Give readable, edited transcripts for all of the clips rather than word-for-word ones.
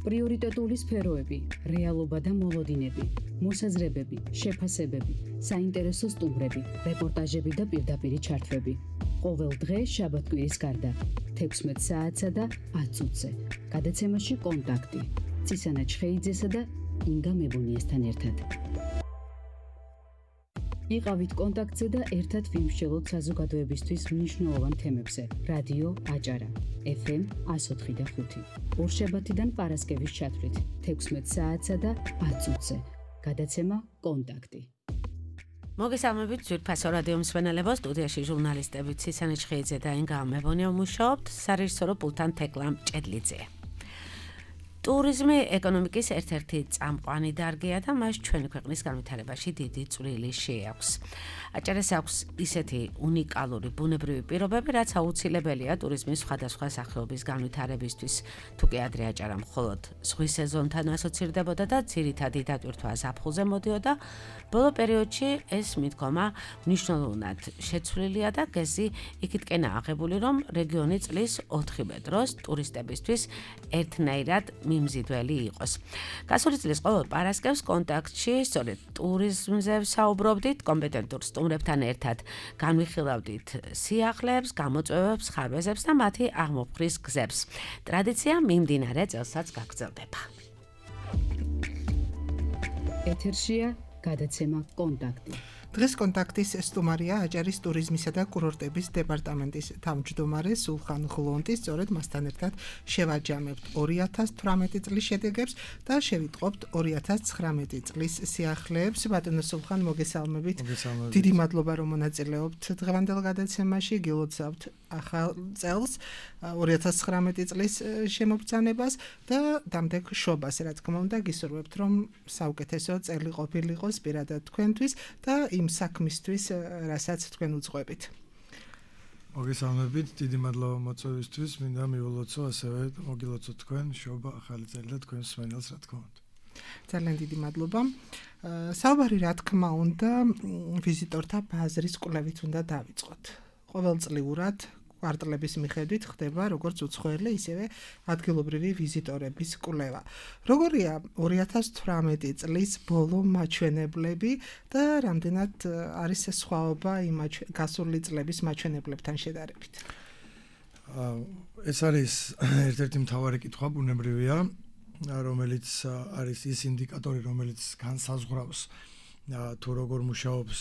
პრიორიტეტული სფეროები, რეალობა და მოლოდინები, მოსაზრებები, შეფასებები, საინტერესო სტუმრები, რეპორტაჟები და პირდაპირი ჩართვები. ყოველ დღე შაბათ-კვირის გარდა 16 საათსა და 10 წუთზე. გადაცემაში კონტაქტი. ცისანა ჩხეიძესა და ინგა მებუნიესთან ერთად. იყავით კონტაქტზე და ერთად ვიმსჯელოთ საზოგადოებისთვის მნიშვნელოვან თემებზე. რადიო აჭარა, FM 104.5. ორშაბათიდან პარასკევის ჩათვლით 16 საათსა და 10 წუთზე. გადაცემა კონტაქტი. მოგესალმებით ძვირფასო რადიო მსმენელებო, სტუდიაში ჟურნალისტები ცისანა ჩხეიძე და ინგა მებუნია მუშაობთ, სარეჟისორო პულტთან თეკლა მჭედლიძე. ტურიზმი ეკონომიკის ერთ-ერთი წამყვანი დარგია და მას ჩვენი ქვეყნის განვითარებაში დიდი წვლილი შეაქვს. აჭარას აქვს ისეთი უნიკალური ბუნებრივი პირობები, რაც აუცილებელია ტურიზმის სხვადასხვა სახეობის განვითარებისთვის. თუკი ადრე აჭარა მხოლოდ ზღვის სეზონთან ასოცირდებოდა და ძირითადი დატვირთვა ზაფხულზე მოდიოდა, ბოლო პერიოდში ეს მიდგომა მნიშვნელოვნად შეცვლილია და გეზი იქითკენა აღებული, რომ რეგიონი წლის 4 დროს ტურისტებისთვის ერთნაირად მიმზიდველი იყოს. გასული წლის ყოველ პარასკევს კონტაქტში სწორედ ტურიზმზე ვსაუბრობდით, კომპეტენტურ სტუმრებთან ერთად განვიხილავდით სიახლეებს, გამოწვევებს, ხარვეზებს და მათი აღმოფხრის გზებს. ტრადიცია მიმდინარე წელსაც გაგრძელდება. ეთერშია გადაცემა კონტაქტი. დღეს კონტაქტის სტუმარია აჭარის ტურიზმისა და კურორტების დეპარტამენტის თავმჯდომარე სულხან ღლონტი. სწორედ მასთან ერთად შევაჯამებთ 2018 წლის შედეგებს და შევიტყობთ 2019 წლის სიახლეებს. ბატონო სულხან, მოგესალმებით. დიდი მადლობა, რომ მონაწილეობთ დღევანდელ გადაცემაში. გილოცავთ ახალ წელს, 2019 წლის შემოგბრძანებას და დამდეგ შობას, რა თქმა უნდა, გისურვებთ, რომ საუკეთესო წელი ყოფილიყოს პირადად თქვენთვის და იმ საქმისთვის, რასაც თქვენ უძღვებით. მოგესალმებით, დიდი მადლობა მოწვევისთვის. მინდა მიულოცო, ასევე მოგილოცოთ თქვენ შობა ახალი წელი და თქვენ მსმენელს, რა თქმა უნდა. ძალიან დიდი მადლობა. საუბარი, რა თქმა უნდა, ვიზიტორთა ბაზრის კვლევით უნდა დავიწყოთ. ყოველწლიურად კვარტლების მიხედვით ხდება როგორც უცხოელი, ისევე ადგილობრივი ვიზიტორების კვლევა. როგორია 2018 წლის ბოლო მაჩვენებლები და რამდენად არის სხვაობა იმ გასული წლების მაჩვენებლებთან შედარებით? ეს არის ერთ-ერთი მთავარი კითხვა, ბუნებრივია, რომელიც არის ის ინდიკატორი, რომელიც განსაზღვრავს თუ როგორ მუშაობს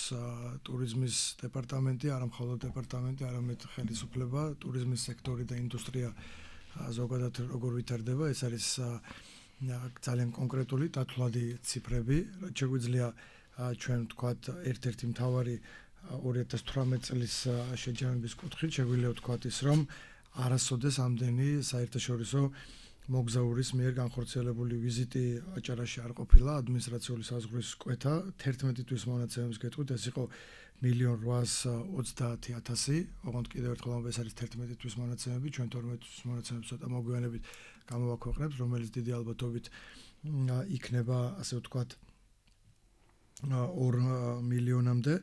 ტურიზმის დეპარტამენტი, არა მხოლოდ დეპარტამენტი, არამედ ხელისუფლება, ტურიზმის სექტორი და ინდუსტრია ზოგადად როგორ ვითარდება. ეს არის ძალიან კონკრეტული დათვლადი ციფრები, რაც შეგვიძლია ჩვენ ვთქვათ ერთ-ერთი მთავარი 2018 წლის შეჯამების კუთხით შეგვიძლია ვთქვათ ის, რომ არასოდეს ამდენი საერთაშორისო მოგზაურის მიერ განხორციელებული ვიზიტი აჭარაში არ ყოფილა. ადმინისტრაციული საზღვრის კვეთა 11 თვის მონაცემების გეტყვით, ეს იყო 1,830,000. ოღონდ კიდევ ერთხელ ეს არის 11 თვის მონაცემები, ჩვენ 12 თვის მონაცემებს ცოტა მოგვიანებით გამოვაქვეყნებთ, რომელიც დიდი ალბათობით იქნება, ასე ვთქვათ, 2 მილიონამდე.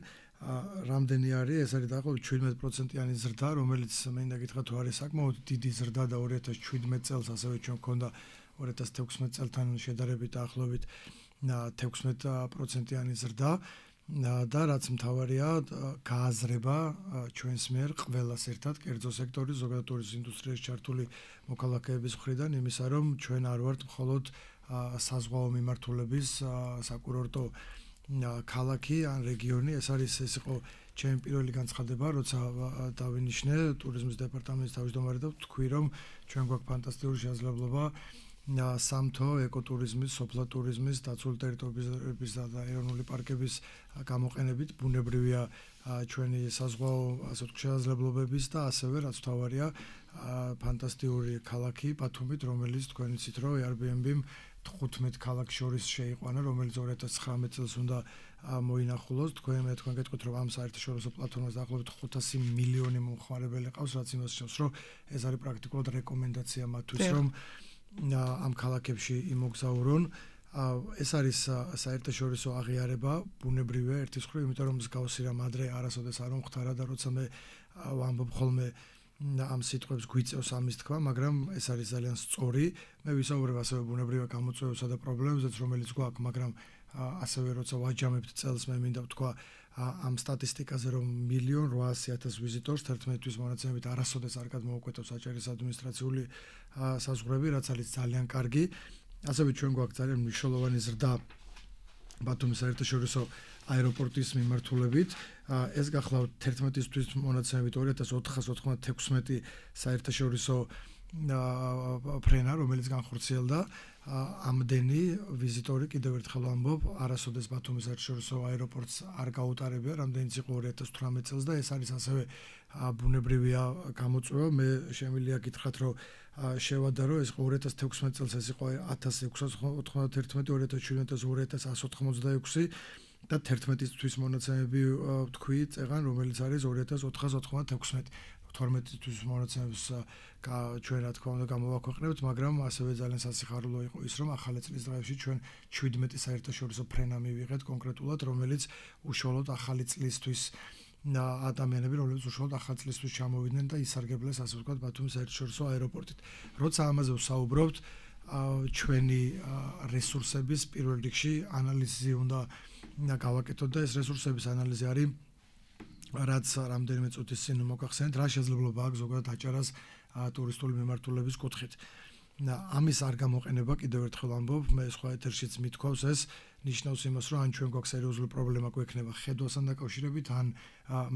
რამდენი არის? ეს არის დაახლოებით 17%-იანი ზრდა, რომელიც მინდა გითხრათ, თუ არის საკმაოდ დიდი ზრდა და 2017 წელს ასევე ჩვენ გქონდა 2016 წელთან შედარებით დაახლოებით 16%-იანი ზრდა და რაც მთავარია, გააზრება ჩვენს მიერ ყველას ერთად, კერძო სექტორის, ზოგადად ტურიზმის ინდუსტრიაში ჩართული მოქალაქეების მხრიდან, იმისა, რომ ჩვენ არ ვართ მხოლოდ საზღვაო მიმართულების საკურორტო ქალაქი ან რეგიონი. ეს იყო ჩემი პირველი განცხადება, როცა დავინიშნე ტურიზმის დეპარტამენტის თავმჯდომარე და ვთქვი, რომ ჩვენ გვაქვს ფანტასტიკური შესაძლებლობა სამთო ეკოტურიზმის, სოფლა ტურიზმის, დაცული ტერიტორიების და ეროვნული პარკების გამოყენებით. ბუნებრივია ჩვენი საზღვაო შესაძლებლობების და ასევე რაც მთავარია, ფანტასტიკური ქალაქი ბათუმით, რომელიც თქვენ იცით, რომ Airbnb-მ 15 ქალაქს შორის შეიყვანა, რომელიც 2019 წელს უნდა მოინახულოს. თქვენ გეტყვით, რომ ამ საერთაშორისო პლატფორმაზე დაახლოებით 500 მილიონი მომხმარებელი ყავს, რაც იმას ნიშნავს, რომ ეს არის პრაქტიკულად რეკომენდაცია მათთვის, რომ ამ ქალაქებში იმოგზაურონ. ეს არის საერთაშორისო აღიარება, ბუნებრივია ერთის მხრივ, იმიტომ რომ მსგავსი რამ ადრე არასოდეს არ მომხდარა და როცა მე ვამბობ ხოლმე ამ სიტყვებს გვიწევს ამის თქვა, მაგრამ ეს არის ძალიან სწორი. მე ვისაუბრებ ასევე ბუნებრივად გამოწვევებსა და პრობლემებზეც, რომელიც გვაქვს, მაგრამ ასევე როცა ვაჯამებთ წელს, მე მინდა ვთქვა ამ სტატისტიკაზე, რომ 1.800.000 ვიზიტორს 11 თვის მონაცემებით არასოდეს არ გადმოუკვეთავს აჭარის ადმინისტრაციული საზღვრები, რაც არის ძალიან კარგი. ასევე ჩვენ გვაქვს ძალიან მნიშვნელოვანი ზრდა ბათუმის საერთაშორისო აეროპორტის მიმართულებით. ეს გახლავთ 11 თვის მონაცემებით 2496 საერთაშორისო ფრენა, რომელიც განხორციელდა. ამდენი ვიზიტორი კიდევ ერთხელ ვამბობ, არასოდეს ბათუმის საერთაშორისო აეროპორტს არ გაუტარებია, რამდენიც იყო 2018 წელს და ეს არის ასევე ბუნებრივია გამოწვევა. მე შემიძლია გითხრათ, რომ შევადარო ეს 2016 წელს ეს იყო 1691, 2017 2186 და 11 თვის მონაცემები თქვი წეღან, რომელიც არის 2496. 12 თვის მონაცემებს ჩვენ რა თქმა უნდა გამოვაქვეყნებთ, მაგრამ ასევე ძალიან სასიხარულო იყო ის, რომ ახალი წლის დღეებში ჩვენ 17 საერთაშორისო ფრენა მივიღეთ კონკრეტულად, რომელიც უშუალოდ ახალი წლისთვის ადამიანები, რომლებიც უშუალოდ ახალი წლისთვის ჩამოვიდნენ და ისარგებლეს, ასე ვთქვათ, ბათუმის საერთაშორისო აეროპორტით. როცა ამაზე ვსაუბრობთ, ჩვენი რესურსების პირველ რიგში ანალიზი უნდა გავაკეთოთ და ეს რესურსების ანალიზი არის რაც რამდენიმე წუთის წინ მოგახსენეთ, რა შესაძლებლობა აქვს ზოგადად აჭარას ტურისტული მიმართულების კუთხით. ამის არ გამოყენება კიდევ ერთხელ ვამბობ, მე სხვა ეთერშიც მithქვავს ეს ნიშნავს იმას, რომ ან ჩვენ გვაქვს სერიოზული პრობლემა გვექნება ხედვასთან დაკავშირებით, ან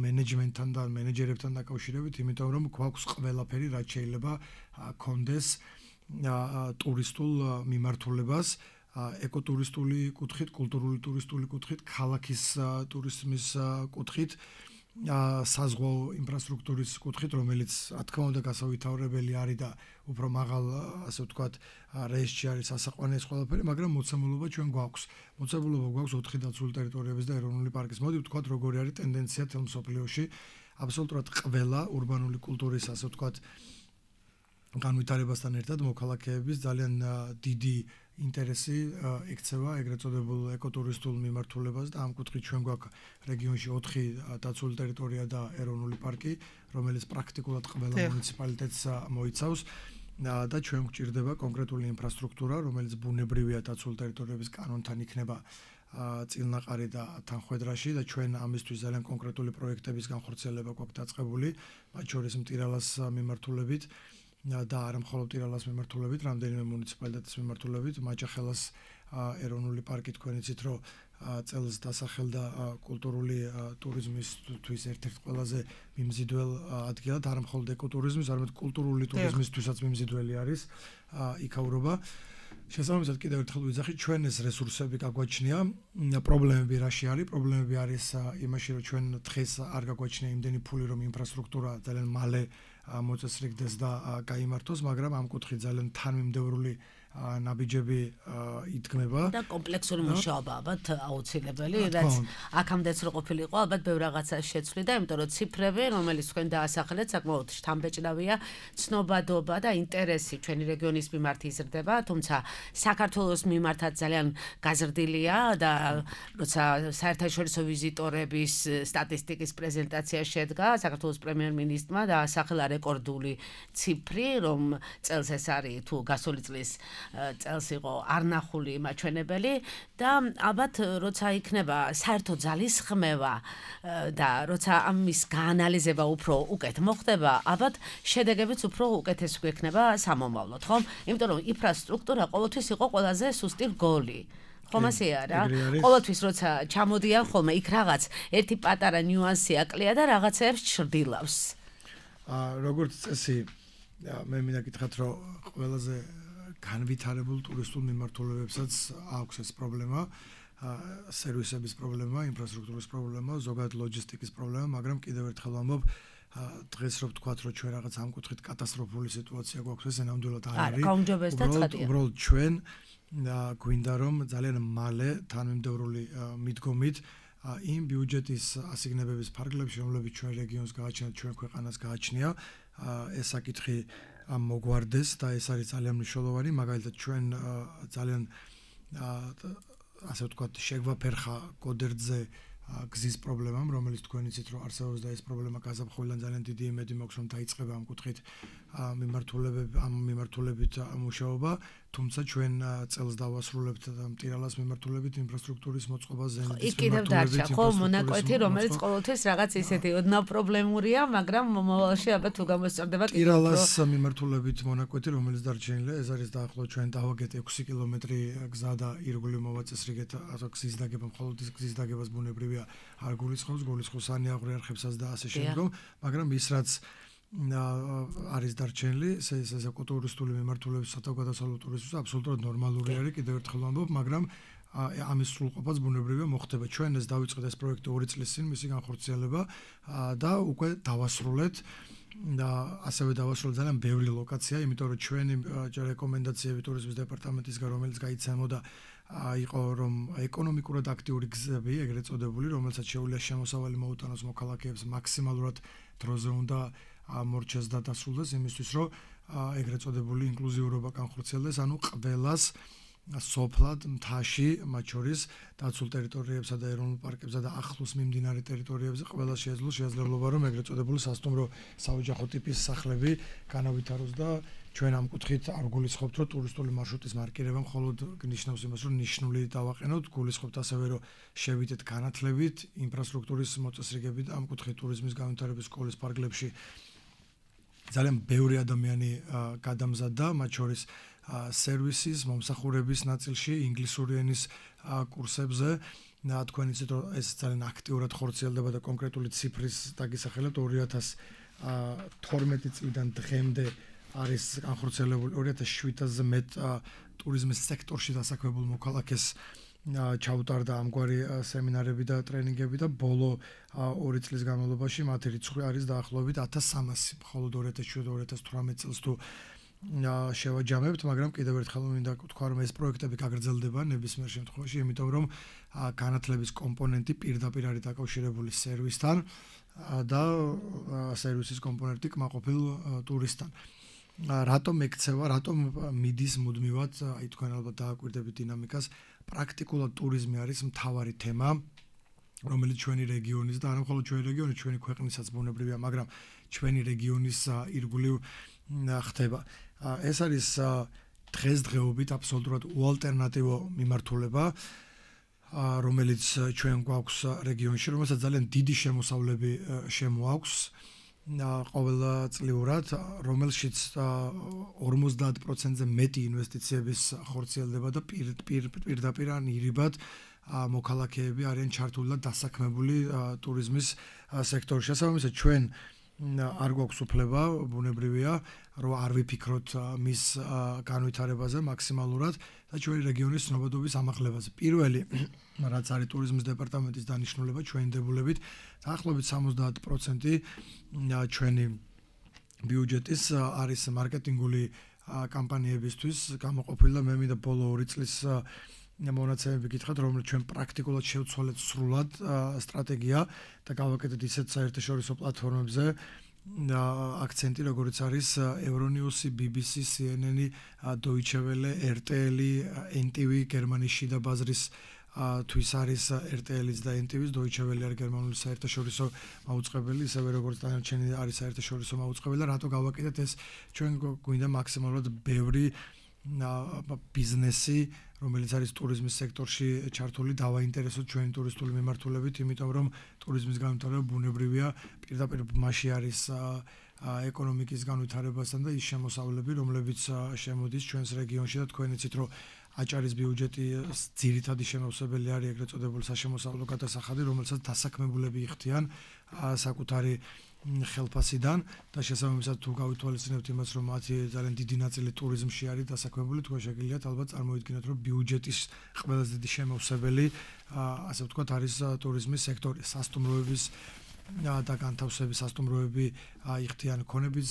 მენეჯმენტთან და მენეჯერებთან დაკავშირებით, იმიტომ რომ გვაქვს ყველაფერი, რაც შეიძლება კონდეს ტურისტულ მიმართულებას, ეკოტურისტული კუთხით, კულტურული ტურისტული კუთხით, ქალაქის ტურიზმის კუთხით, საზღვაო ინფრასტრუქტურის კუთხით, რომელიც რა თქმა უნდა გასავითარებელი არის და უფრო მაღალ, ასე ვთქვათ, რეჟში არის ასაყვანი ეს ყველაფერი, მაგრამ მოცემულობა ჩვენ გვაქვს. მოცემულობა გვაქვს 4 დაცული ტერიტორიების და ეროვნული პარკის. მოდი ვთქვათ, როგორი არის ტენდენცია თელ მსოფლიოში. აბსოლუტურად ყველა ურბანული კულტურის, ასე ვთქვათ, განვითარებასთან ერთად მოქალაქეების ძალიან დიდი ინტერესი ექცევა ეგრეთ წოდებულ ეკოტურისტულ მიმართულებას და ამ კუთხით ჩვენ გვაქვს რეგიონში 4 დაცული ტერიტორია და ეროვნული პარკი, რომელიც პრაქტიკულად ყველა მუნიციპალიტეტს მოიცავს და ჩვენ გვჭირდება კონკრეტული ინფრასტრუქტურა, რომელიც ბუნებრივია დაცული ტერიტორიების კანონთან იქნება წილნაყარი და თანხვედრაში და ჩვენ ამისთვის ძალიან კონკრეტული პროექტების განხორციელება გვაქვს დაწყებული, მათ შორის მტირალას მიმართულებით და არა მხოლოდ ტირალას მიმართულებით, რამდენიმე მუნიციპალიტეტის მიმართულებით, მაჭახელას ეროვნული პარკი თქვენ იცით, რომ წელს დასახელდა კულტურული ტურიზმისთვის ერთ-ერთ ყველაზე მიმზიდველ ადგილად, არა მხოლოდ ეკოტურიზმის, არამედ კულტურული ტურიზმისთვისაც მიმზიდველი არის იქაურობა. შესაბამისად კიდევ ერთხელ ვიძახით, ჩვენ ეს რესურსები გაგვაჩნია, პრობლემები რაში არის? პრობლემები არის იმაში, რომ ჩვენ დღეს არ გაგვაჩნია იმდენი ფული, რომ ინფრასტრუქტურა ძალიან მალე მოწესრიგდეს და გაიმართოს, მაგრამ ამ კუთხით ძალიან თანმიმდევრული ნაბიჯები იდგმება და კომპლექსური მუშაობა ალბათ აუცილებელი, რაც აქამდეც რო ყოფილიყო, ალბათ ბევრ რაღაცას შეცვლიდა, იმიტომ რომ ციფრები, რომელიც თქვენ დაასახელეთ, საკმაოდ შთამბეჭდავია, ცნობადობა და ინტერესი ჩვენი რეგიონის მიმართ იზრდება, თუმცა საქართველოს მიმართაც ძალიან გაზრდილია და როცა საერთაშორისო ვიზიტორების სტატისტიკის პრეზენტაცია შედგა, საქართველოს პრემიერ-მინისტრმა დაასახელა რეკორდული ციფრი, რომ წელს ეს არის თუ გასული წლის წელს იყო არნახული მაჩვენებელი და ალბათ როცა იქნება საერთო ძალისხმევა და როცა ამის გაანალიზება უფრო უკეთ მოხდება, ალბათ შედეგებიც უფრო უკეთესი გვექნება სამომავლოდ, ხომ? იმიტომ რომ ინფრასტრუქტურა ყოველთვის იყო ყველაზე სუსტი რგოლი. ხომ ასე არა? ყოველთვის როცა ჩამოდიან ხოლმე იქ რაღაც ერთი პატარა ნიუანსი აკლია და რაღაცებს ჩრდილავს. როგორც წესი, მე მინდა გითხრათ, რომ ყველაზე განვითარებულ ტურისტულ მიმართულებებსაც აქვს ეს პრობლემა, სერვისების პრობლემა, ინფრასტრუქტურის პრობლემა, ზოგადად ლოჯისტიკის პრობლემა, მაგრამ კიდევ ერთხელ ვამბობ, დღეს რო ვთქვათ, რომ ჩვენ რაღაც ამ კუთხით კატასტროფული სიტუაცია გვაქვს, ეს ნამდვილად არ არის. უბრალოდ ჩვენ გვინდა რომ ძალიან მალე თანმიმდევრული მიდგომით იმ ბიუჯეტის ასიგნებების ფარგლებში, რომლებიც ჩვენ რეგიონს გააჩნიათ, ჩვენ ქვეყანას გააჩნია, ეს საკითხი მოგვარდეს და ეს არის ძალიან მნიშვნელოვანი, მაგალითად ჩვენ ძალიან ასე ვთქვათ, შეგვაფერხა გოდერძე გზის პრობლემამ, რომელიც თქვენ იცით, რომ არსებობს და ეს პრობლემა გაზაფხულიდან ძალიან დიდი იმედი მაქვს, რომ დაიწყება ამ კუთხით მიმართულებით მუშაობა, თუმცა ჩვენ წელს დავასრულებთ მტირალას მიმართულებით ინფრასტრუქტურის მოწყობას, ზენიტის მიმართულებით. ხო, მონაკვეთი, რომელიც ყოველთვის რაღაც ისეთი ოდნავ პრობლემურია, მაგრამ მომავალში ალბათ თუ გამოსწორდება მტირალას მიმართულებით მონაკვეთი, რომელიც დარჩენილია, ეს არის დაახლოებით ჩვენ დავაგეთ 6 კილომეტრი გზა და ირგვლივ მოვაწესრიგეთ გზის დაგება, მხოლოდ ის გზის დაგებას ბუნებრივია არ გულისხმობს, გულისხმობს ანიაღვრე არხებსაც და ასე შემდგომ, მაგრამ ის რაც არის დარჩენილი, ეს ეკოტურისტული მიმართულების სათავგადასავლო ტურიზმის აბსოლუტურად ნორმალური არის, კიდევ ერთხელ ვამბობ, მაგრამ ამის სრულყოფაც ბუნებრივია მოხდება. ჩვენ ეს დავიწყეთ ეს პროექტი 2 წლის წინ, მისი განხორციელება და უკვე დავასრულეთ და ასევე დავასრულეთ ძალიან ბევრი ლოკაცია, იმიტომ რომ ჩვენი რეკომენდაციები ტურიზმის დეპარტამენტისგან, რომელიც გაიცემოდა იყო რომ ეკონომიკურად აქტიური გზები, ეგრეთ წოდებული, რომელსაც შეუძლია შემოსავალი მოუტანოს მოქალაქეებს მაქსიმალურად დროზე უნდა მორჩეს და დასრულდეს იმისთვის, რომ ეგრეთ წოდებული ინკლუზიურობა განხორციელდეს, ანუ ყველას სოფლად, მთაში, მათ შორის დაცულ ტერიტორიებსა და ეროვნულ პარკებსა და ახლოს მიმდინარე ტერიტორიებზე ყველას შესაძლებლობა რომ ეგრეთ წოდებული სასტუმრო საოჯახო ტიპის სახლები განავითაროს და ჩვენ ამ კუთხით არ გულისხმობთ, რომ ტურისტული მარშრუტის მარკირება მხოლოდ ნიშნავს იმას, რომ ნიშნული დავაყენოთ, გულისხმობთ ასევე, რომ შევიდეთ განათლებით, ინფრასტრუქტურის მოწესრიგებით ამ კუთხით ტურიზმის განვითარების სკოლის ფარგლებში ძალიან ბევრი ადამიანი გადამზადდა, მათ შორის სერვისის, მომსახურების ნაწილში, ინგლისური ენის კურსებზე. თქვენ იცით, რომ ეს ძალიან აქტიურად ხორციელდება და კონკრეტული ციფრის დაგისახელებთ 2012 წლიდან დღემდე არის განხორციელებული 2700-ზე მეტ ტურიზმის სექტორში დასაქმებულ მოქალაქეს ჩაუტარდა ამგვარი სემინარები და ტრენინგები და ბოლო 2 წლის განმავლობაში მათი რიცხვი არის დაახლოებით 1300, მხოლოდ 2017-2018 წელს თუ შევაჯამებთ, მაგრამ კიდევ ერთხელ მინდა ვთქვა, რომ ეს პროექტები გაგრძელდება ნებისმიერ შემთხვევაში, იმიტომ რომ განათლების კომპონენტი პირდაპირ არის დაკავშირებული სერვისთან და სერვისის კომპონენტი კმაყოფილ ტურისტთან. რატომ ექცევა, რატომ მიდის მუდმივად, აი თქვენ ალბათ დააკვირდებით დინამიკას, პრაქტიკულად ტურიზმი არის მთავარი თემა, რომელიც ჩვენი რეგიონის და არა მხოლოდ ჩვენი რეგიონის, ჩვენი ქვეყნისაც ბუნებრივია, მაგრამ ჩვენი რეგიონის ირგვლივ ხდება. ეს არის დღესდღეობით აბსოლუტურად უალტერნატივო მიმართულება, რომელიც ჩვენ გვაქვს რეგიონში, რომელსაც ძალიან დიდი შემოსავლები შემოაქვს ყოველწლიურად, რომელშიც 50%-ზე მეტი ინვესტიციების ხორციელდება და პირდაპირ ან ირიბად მოქალაქეები არიან ჩართული და დასაქმებული ტურიზმის სექტორში. შესაბამისად, ჩვენ არ გვაქვს უფლება, ბუნებრივია, რომ არ ვიფიქროთ მის განვითარებაზე მაქსიმალურად და ჩვენი რეგიონის ცნობადობის ამაღლებაზე. პირველი, რაც არის ტურიზმის დეპარტამენტის დანიშნულება ჩვენი დებულებით, დაახლოებით 70% ჩვენი ბიუჯეტის არის მარკეტინგული კამპანიებისთვის გამოყოფილი და მე მინდა ბოლო 2 წლის მონაცემები გითხრათ, რომელიც ჩვენ პრაქტიკულად შევცვალეთ სრულად სტრატეგია და გავაკეთეთ ისეთ საერთაშორისო პლატფორმებზე აქცენტი, როგორც არის Euronews, BBC, CNN, Deutsche Welle, RTL, NTV, გერმანიის შიდა ბაზრის თვის არის RTL-იც და NTV-ს, Deutsche Welle არის გერმანული საერთაშორისო მაუწყებელი, ისევე როგორც დანარჩენი არის საერთაშორისო მაუწყებელი და რატო გავაკეთეთ ეს ჩვენ გვინდა მაქსიმალურად ბევრი ბიზნესი, რომელიც არის ტურიზმის სექტორში ჩართული, დავაინტერესოთ ჩვენი ტურისტული მიმართულებით, იმიტომ რომ ტურიზმის განვითარება ბუნებრივია, პირდაპირ მასში არის ეკონომიკის განვითარებასთან და ის შემოსავლები, რომლებიც შემოდის ჩვენს რეგიონში და თქვენ იცით, რომ აჭარის ბიუჯეტი ძირითადი შემოსავალი არის ეგრეთ წოდებული საშემოსავლო გადასახადი, რომელსაც დასაქმებულები იხდიან საკუთარი ხელფასიდან და შესაბამისად თუ გავითვალისწინებთ იმას, რომ მათი ძალიან დიდი ნაწილი ტურიზმში არის დასაქმებული, თქვენ შეგიძლიათ ალბათ წარმოიდგინოთ, რომ ბიუჯეტის ყველაზე დიდი შემოსავალი, ასე ვთქვათ, არის ტურიზმის სექტორი, სასტუმროების და განთავსების სასტუმროები იხდიან ქონების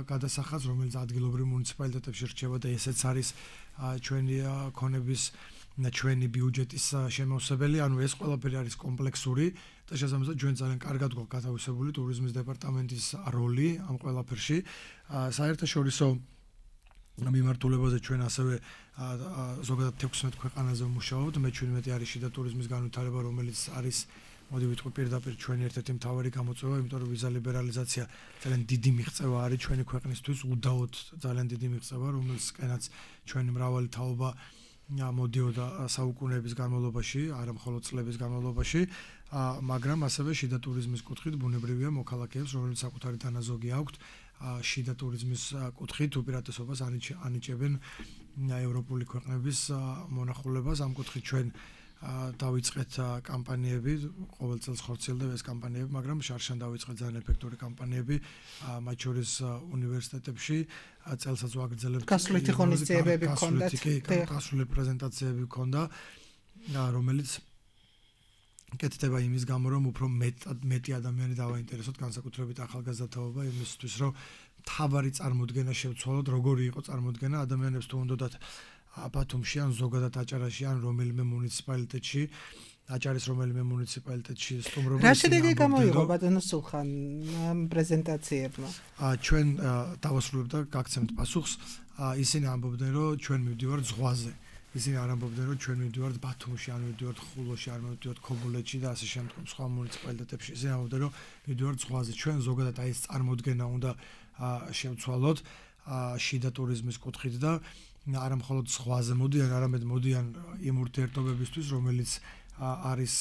გადასახადს, რომელიც ადგილობრივ მუნიციპალიტეტებში რჩება და ესეც არის ჩვენი ქონების ჩვენი ბიუჯეტის შემოსავალი, ანუ ეს ყველაფერი არის კომპლექსური და შესაბამისად ჩვენ ძალიან კარგად გვაქვს გათავისებული ტურიზმის დეპარტამენტის როლი ამ ყველაფერში. საერთაშორისო მიმართულებაზე ჩვენ ასევე ზოგადად 16 ქვეყანაზე ვმუშაობთ, მე 17 არის შიდა ტურიზმის განვითარება, რომელიც არის მოდი ვიტყვი პირდაპირ ჩვენი ერთ-ერთი მთავარი გამოწვევა, იმიტომ რომ ვიზა ლიბერალიზაცია ძალიან დიდი მიღწევა არის ჩვენი ქვეყნისთვის, უდაოდ ძალიან დიდი მიღწევა, რომელსკენაც ჩვენი მრავალი თაობა მოდიოდა საუკუნეების განმავლობაში, არა მხოლოდ წლების განმავლობაში, მაგრამ ასევე შიდა ტურიზმის კუთხით ბუნებრივია მოქალაქეებს, რომელიც საკუთარი დანაზოგი აქვთ, შიდა ტურიზმის კუთხით უპირატესობას ანიჭებენ ევროპული ქვეყნების მონახულებას. ამ კუთხით ჩვენ დავიწყეთ კამპანიები, ყოველ წელს ხორციელდება ეს კამპანიები, მაგრამ შარშან დავიწყეთ ძალიან ეფექტური კამპანიები, მათ შორის უნივერსიტეტებში, წელსაც ვაგრძელებთ. გასვლითი ღონისძიებები ჰქონდათ, გასვლითი პრეზენტაციები ჰქონდა, რომელიც კეთდება იმის გამო, რომ უფრო მეტი ადამიანი დავაინტერესოთ, განსაკუთრებით ახალგაზრდა თაობა, იმისთვის, რომ მთავარი წარმოდგენა შევცვალოთ, როგორი იყო წარმოდგენა ადამიანებს თუ უნდათ ბათუმში ან ზოგადად აჭარაში ან რომელიმე მუნიციპალიტეტში, აჭარის რომელიმე მუნიციპალიტეტში სტუმრობა. რა შედეგი გამოიღო ბატონო სულხან პრეზენტაციებმა? ჩვენ დავასრულებთ და გაგცემთ პასუხს. ისინი ამბობდნენ, რომ ჩვენ მივდივართ ზღვაზე. ისინი არ ამბობდნენ, რომ ჩვენ მივდივართ ბათუმში, ან მივდივართ ხულოში, ან მივდივართ ქობულეთში და ასე შემდგომ სხვა მუნიციპალიტეტებში. ისინი ამბობდნენ, რომ მივდივართ ზღვაზე. ჩვენ ზოგადად ეს წარმოდგენა უნდა შევცვალოთ შიდა ტურიზმის კუთხით და არა მხოლოდ ზღვაზე მოდიან, არამედ მოდიან იმ ურთიერთობებისთვის, რომელიც არის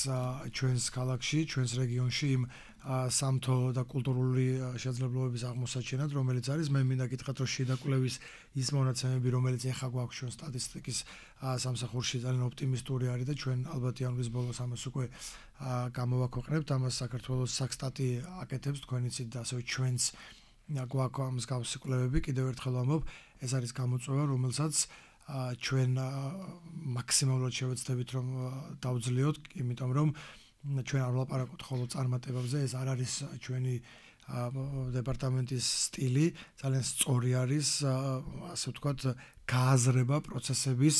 ჩვენს ქალაქში, ჩვენს რეგიონში იმ სამთო და კულტურული შესაძლებლობების აღმოსაჩენად, რომელიც არის. მე მინდა გითხრათ, რომ შიდა კვლევის ის მონაცემები, რომელიც ეხა გვაქვს ჩვენ სტატისტიკის სამსახურში, ძალიან ოპტიმისტური არის და ჩვენ ალბათ იანვრის ბოლოს ამას უკვე გამოვაქვეყნებთ. ამას საქართველოს საქსტატი აკეთებს, თქვენ იცით და ასევე ჩვენც გვაქვს ამ მსგავსი კვლევები. კიდევ ერთხელ ვამბობ, ეს არის გამოწვევა, რომელსაც ჩვენ მაქსიმალურად შევეცდებით რომ დავძლიოთ, იმიტომ რომ ჩვენ არ ვლაპარაკობთ ხოლმე წარმატებებზე, ეს არ არის ჩვენი დეპარტამენტის სტილი, ძალიან სწორი არის, ასე ვთქვათ, გააზრება პროცესების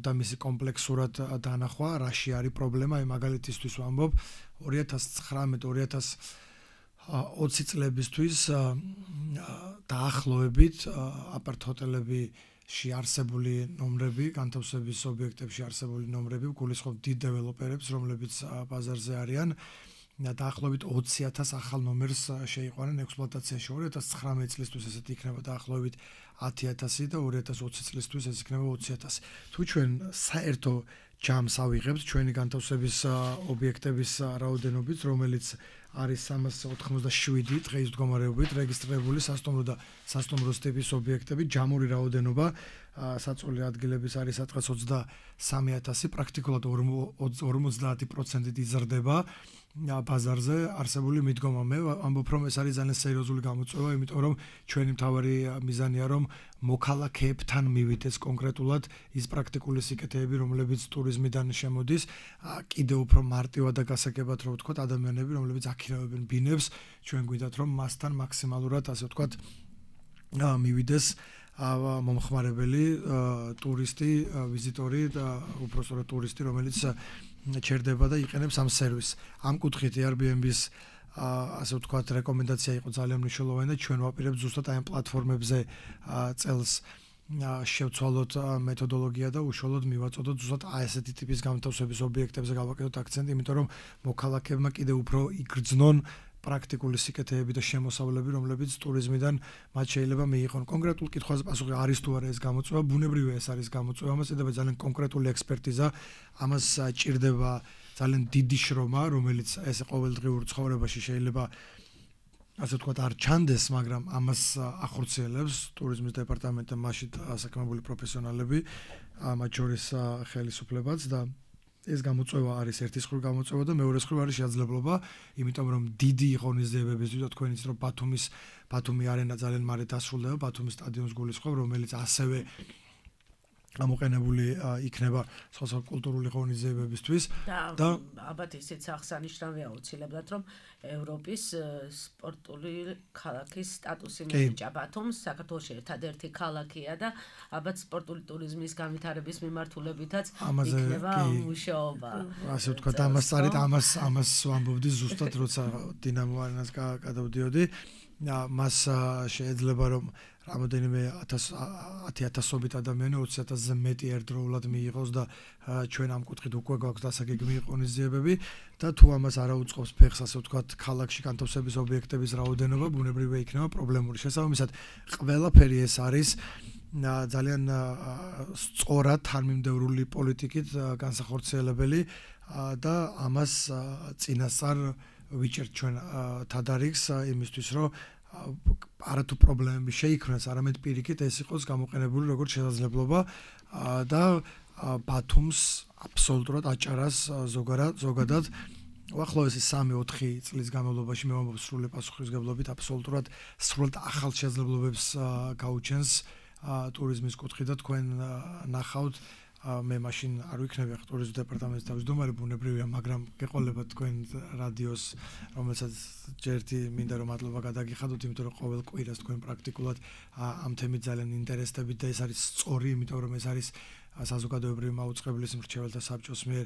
და მისი კომპლექსურად დანახვა, რაში არის პრობლემა. მაგალითისთვის ვამბობ, 2019-2020 წლებისთვის დაახლოებით აპარტ-ჰოტელებში არსებული ნომრები, განთავსების ობიექტებში არსებული ნომრები გულისხმობ დიდ დეველოპერებს, რომლებიც ბაზარზე არიან. დაახლოებით 20,000 ახალ ნომერს შეიყვანენ ექსპლუატაციაში. 2019 წლისთვის ესეთი იქნება დაახლოებით 10,000 და 2020 წლისთვის ეს იქნება 20,000. თუ ჩვენ საერთო ჯამს ავიღებთ ჩვენი განთავსების ობიექტების რაოდენობით, რომელიც არის 387 დღის მდგომარეობით რეგისტრირებული სასტუმრო და სასტუმროს ტიპის ობიექტები, ჯამური რაოდენობა საწოლი ადგილების არის სადღაც 23,000, პრაქტიკულად 50% იზრდება ბაზარზე არსებული მიდგომა. მე ამბობ, რომ ეს არის ძალიან სერიოზული გამოწვევა, იმიტომ რომ ჩვენი მთავარი მიზანია, რომ მოქალაქეებთან მივიდეს კონკრეტულად ის პრაქტიკული სიკეთეები, რომლებიც ტურიზმიდან შემოდის, კიდევ უფრო მარტივად და გასაგებად რო ვთქვათ, ადამიანები, რომლებიც აქირავებენ ბინებს, ჩვენ გვინდათ, რომ მასთან მაქსიმალურად, ასე ვთქვათ, მივიდეს მომხმარებელი, ტურისტი, ვიზიტორი და უпростоრო ტურისტი, რომელიც ჩერდება და იყენებს ამ სერვისს. ამ კუთხით Airbnb-ს ასე ვთქვათ, რეკომენდაცია იყო ძალიან მნიშვნელოვანი და ჩვენ ვაპირებთ ზუსტად აი ამ პლატფორმებზე წელს შევცვალოთ მეთოდოლოგია და უშუალოდ მივაწოდოთ ზუსტად აი ესეთი ტიპის განთავსების ობიექტებზე გავაკეთოთ აქცენტი, იმიტომ რომ მოქალაქეებმა კიდევ უფრო იგრძნონ პრაქტიკული სიკეთეები და შემოსავლები, რომლებიც ტურიზმიდან მათ შეიძლება მიიღონ. კონკრეტულ კითხვაზე პასუხი არის თუ არა ეს გამოწვევა, ბუნებრივია ეს არის გამოწვევა, ამას ჭირდება ძალიან კონკრეტული ექსპერტიზა, ამას ჭირდება ძალიან დიდი შრომა, რომელიც ეს ყოველდღიურ ცხოვრებაში შეიძლება ასე ვთქვათ არ ჩანდეს, მაგრამ ამას ახორციელებს ტურიზმის დეპარტამენტი, მასში ასაკმებული პროფესიონალები, მათ შორის ხელისუფლებაც და ეს გამოწვევა არის ერთის მხრივ გამოწვევა და მეორეს მხრივ არის შესაძლებლობა, იმიტომ რომ დიდი ღონისძიებებისთვის და თქვენ იცით რომ ბათუმი არენა ძალიან მალე დასრულდება, ბათუმის სტადიონს გულისხმობ, რომელიც ასევე ამოყენებული იქნება სხვა კულტურული ღონისძიებებისთვის და ალბათ ისიც აღსანიშნავია აუცილებლად რომ ევროპის სპორტული ქალაქის სტატუსი მიენიჭა ბათუმს, საქართველოში ერთადერთი ქალაქია და ალბათ სპორტული ტურიზმის განვითარების მიმართულებითაც იქნება მუშაობა. ასე ვთქვათ, ამას ვამბობდი ზუსტად როცა დინამო არენას გადავდიოდი. მას შეიძლება რომ რამოდენიმე 10,000-ობით ადამიანი 20,000-ზე მეტი ერთდროულად მიიღოს და ჩვენ ამ კუთხით უკვე გვაქვს დასაგეგმი ღონისძიებები და თუ ამას არ აუწყობს ფეხს, ასე ვთქვათ, ქალაქში განთავსების ობიექტების რაოდენობა, ბუნებრივია იქნება პრობლემური. შესაბამისად, ყველაფერი ეს არის ძალიან სწორად თანმიმდევრული პოლიტიკით განსახორციელებელი და ამას წინასწარ ვიჭერთ ჩვენ თადარიგს იმისთვის, რომ არათუ პრობლემები შეიქმნას, არამედ პირიქით ეს იყოს გამოყენებული როგორც შესაძლებლობა და ბათუმს აბსოლუტურად აჭარას ზოგადად უახლოესი 3-4 წლის განმავლობაში მე ვამბობ სრული პასუხისმგებლობით აბსოლუტურად სრულად ახალ შესაძლებლობებს გაუჩენს ტურიზმის კუთხით და თქვენ ნახავთ მე მაშინ არ ვიქნები ახლა ტურიზმის დეპარტამენტის თავმჯდომარე ბუნებრივია, მაგრამ გეყოლებათ თქვენ რადიოს, რომელსაც ჯერთი მინდა რომ მადლობა გადაგიხადოთ, იმიტომ რომ ყოველ კვირას თქვენ პრაქტიკულად ამ თემით ძალიან ინტერესდებით და ეს არის სწორი, იმიტომ რომ ეს არის საზოგადოებრივი მაუწყებლის მრჩეველთა საბჭოს მიერ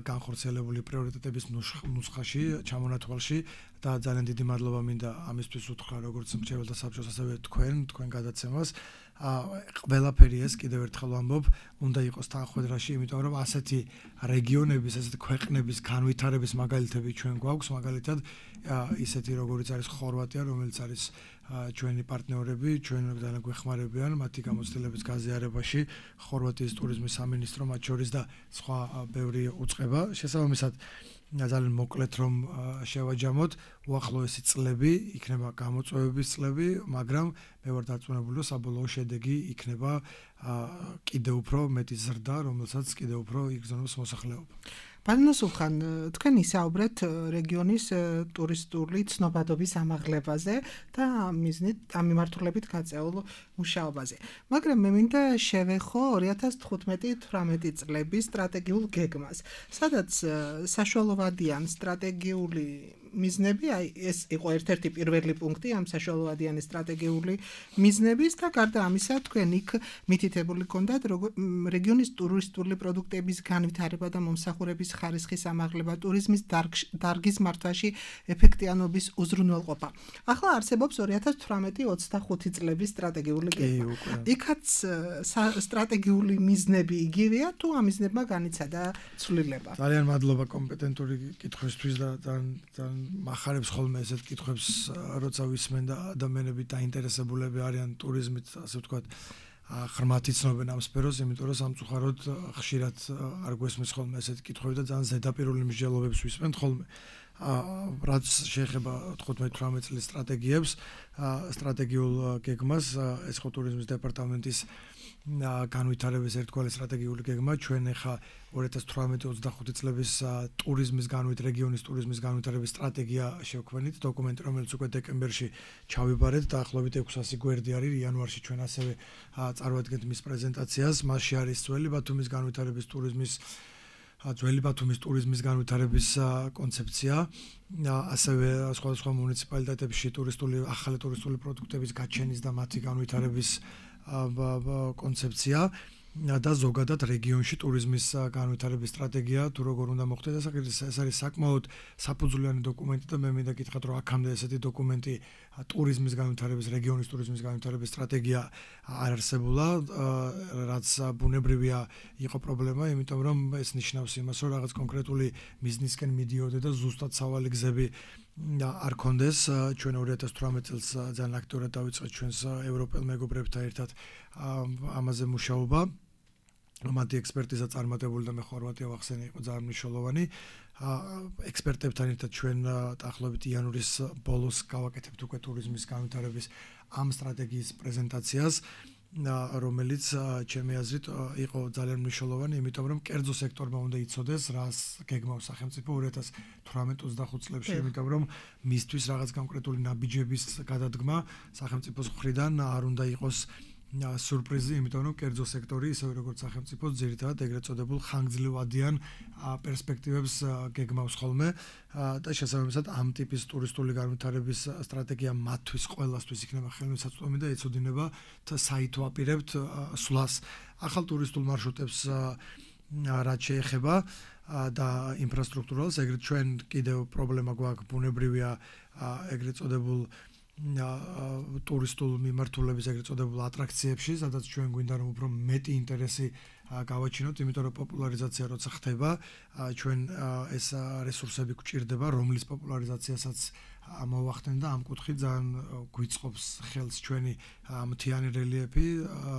განხორციელებული პრიორიტეტების ნუსხაში, ჩამონათვალში და ძალიან დიდი მადლობა მინდა ამისთვის უთხრა როგორც მრჩეველთა საბჭოს, ასევე თქვენ გადაცემას. ყველაფერი ეს კიდევ ერთხელ ვამბობ, უნდა იყოს თანხმედრაში, იმიტომ რომ ასეთი რეგიონების, ასეთი ქვეყნების განვითარების მაგალითები ჩვენ გვაქვს, მაგალითად ისეთი როგორიც არის ხორვატია, რომელიც არის ჩვენი პარტნიორები, ჩვენ ძალიან გვეხმარებიან მათი გამოცდილების გაზიარებაში, ხორვატიის ტურიზმის სამინისტრო მათ შორის და სხვა ბევრი უწყება. შესაბამისად, ძალიან მოკლედ რომ შევაჯამოთ, უახლოესი წლები იქნება გამოწვევების წლები, მაგრამ მე ვარ დარწმუნებული, რომ საბოლოო შედეგი იქნება კიდევ უფრო მეტი ზრდა, რომელსაც კიდევ უფრო იგრძნობს მოსახლეობა. ბატონო სულხან, თქვენ ისაუბრეთ რეგიონის ტურისტული ცნობადობის ამაღლებაზე და ამ მიმართულებით გაწეულ მუშაობაზე. მაგრამ მე მინდა შევეხო 2015-18 წლების სტრატეგიულ გეგმას, სადაც საშუალოვადიან სტრატეგიული მიზნები, ეს იყო ერთ-ერთი პირველი პუნქტი ამ საშუალოვადიანი სტრატეგიული მიზნების და გარდა ამისა თქვენ იქ მითითებული გქონდათ რეგიონის ტურისტული პროდუქტების განვითარება და მომსახურების ხარისხის ამაღლება, ტურიზმის დარგის მართვაში ეფექტიანობის უზრუნველყოფა. ახლა არსებობს 2018-25 წლების სტრატეგიული გეგმა. იქაც სტრატეგიული მიზნები იგივეა თუ ამ მიზნებმა განიცადა ცვლილება? ძალიან მადლობა კომპეტენტური კითხვისთვის და ძალიან მახარებს ხოლმე ესეთ კითხვებს, როცა ვისმენ და ადამიანები დაინტერესებულები არიან ტურიზმით, ასე ვთქვათ, ღრმად იცნობენ ამ სფეროს, იმიტომ რომ სამწუხაროდ ხშირად არ გვესმის ხოლმე ესეთი კითხვები და ძალიან ზედაპირული მსჯელობებს ვისმენთ ხოლმე. რაც შეეხება 15-18 წლის სტრატეგიებს, სტრატეგიულ გეგმას, ეს ხო ტურიზმის დეპარტამენტის განვითარების ერთგვარი სტრატეგიული გეგმა, ჩვენ ახლა 2018-25 წლების რეგიონის ტურიზმის განვითარების სტრატეგია შევქმნით, დოკუმენტი, რომელიც უკვე დეკემბერში ჩავიბარეთ, დაახლოებით 600 გვერდი არის, იანვარში ჩვენ ასევე წარვადგენთ მის პრეზენტაციას, მასში არის ძველი ბათუმის ტურიზმის განვითარების კონცეფცია, ასევე სხვადასხვა მუნიციპალიტეტებში ახალი ტურისტული პროდუქტების გაჩენის და მათი განვითარების კონცეფცია და ზოგადად რეგიონში ტურიზმის განვითარების სტრატეგია თუ როგორ უნდა მოხდეს. ეს არის საკმაოდ საფუძვლიანი დოკუმენტი და მე მინდა გითხრათ, რომ აქამდე ესეთი დოკუმენტი ტურიზმის განვითარების, რეგიონის ტურიზმის განვითარების სტრატეგია არ არსებულა, რაც ბუნებრივია იყო პრობლემა, იმიტომ რომ ეს ნიშნავს იმას, რომ რაღაც კონკრეტული მიზნისკენ მიდიოდე და ზუსტად სავალი გზები არ კონდეს. ჩვენ 2018 წელს ძალიან აქტიურად დავიწყეთ ჩვენს ევროპელ მეგობრებთან ერთად ამაზე მუშაობა. მათი ექსპერტიზა წარმატებული და მე ხორვატია ვახსენე იყო ძალიან მნიშვნელოვანი. ექსპერტებთან ერთად ჩვენ დაახლოებით იანვრის ბოლოს გავაკეთებთ უკვე ტურიზმის განვითარების ამ სტრატეგიის პრეზენტაციას, რომელიც ჩემი აზრით იყო ძალიან მნიშვნელოვანი, იმიტომ რომ კერძო სექტორმა უნდა იცოდეს, რას გეგმავს სახელმწიფო 2018-25 წლებში, იმიტომ რომ მისთვის რაღაც კონკრეტული ნაბიჯების გადადგმა სახელმწიფოს მხრიდან არ უნდა იყოს სურპრიზი, იმიტომ რომ კერძო სექტორი ისევე როგორც სახელმწიფო ძირითადად ეგრეთ წოდებულ ხანგრძლივადიან პერსპექტივებს გეგმავს ხოლმე და შესაბამისად ამ ტიპის ტურისტული განვითარების სტრატეგია მათთვის ყველასთვის იქნება ხელმისაწვდომი და ეცოდინება საითო აპირებთ სვლას. ახალ ტურისტულ მარშრუტებს რაც შეეხება და ინფრასტრუქტურას, ეგრეთ ჩვენ კიდევ პრობლემა გვაქვს, ბუნებრივია ეგრეთ წოდებულ ტურისტულ მიმართულების ეგრეთ წოდებულ ატრაქციებში, სადაც ჩვენ გვინდა რომ უფრო მეტი ინტერესი გავაჩინოთ, იმიტომ რომ პოპულარიზაცია როცა ხდება, ჩვენ ეს რესურსები გვჭირდება, რომლის პოპულარიზაციასაც მოვახდენ და ამ კუთხით ძალიან გვიწყობს ხელს ჩვენი მთიანი რელიეფი,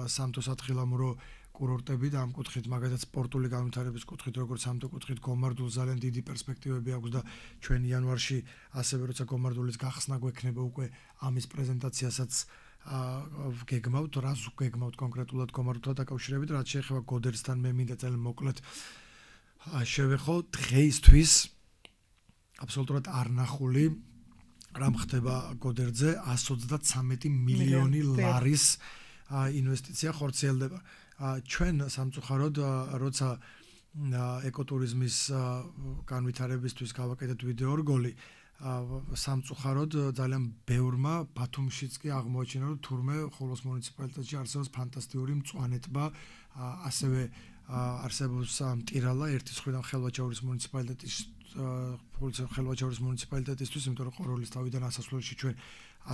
სამთო-სათხილამურო კურორტები და ამ კუთხით მაგალითად სპორტული განვითარების კუთხით, როგორც სამთო კუთხით გომარდულ ძალიან დიდი პერსპექტივები აქვს და ჩვენ იანვარში ასევე როცა გომარდულის გახსნა გვექნება უკვე ამის პრეზენტაციასაც გეგმავთ, რას გეგმავთ კონკრეტულად გომარდულთან დაკავშირებით, რაც შეეხება გოდერსთან, მე მინდა ძალიან მოკლედ შევეხო დღეისთვის აბსოლუტურად არნახული რამ ხდება გოდერძე 133 მილიონი ლარის ინვესტიცია ხორციელდება. ჩვენ სამწუხაროდ როცა ეკოტურიზმის განვითარებისთვის გავაკეთეთ ვიდეო რგოლი, სამწუხაროდ ძალიან ბევრმა ბათუმშიც კი აღმოაჩინა რომ თურმე ხოლოს მუნიციპალიტეტში არსებობს ფანტასტიკური მწვანე ტბა, ასევე არსებობს მტირალა ერთის მხრიდან ხელვაჩაურის მუნიციპალიტეტისთვის, იმიტომ რომ ყოროლის თავიდან ასასვლელში ჩვენ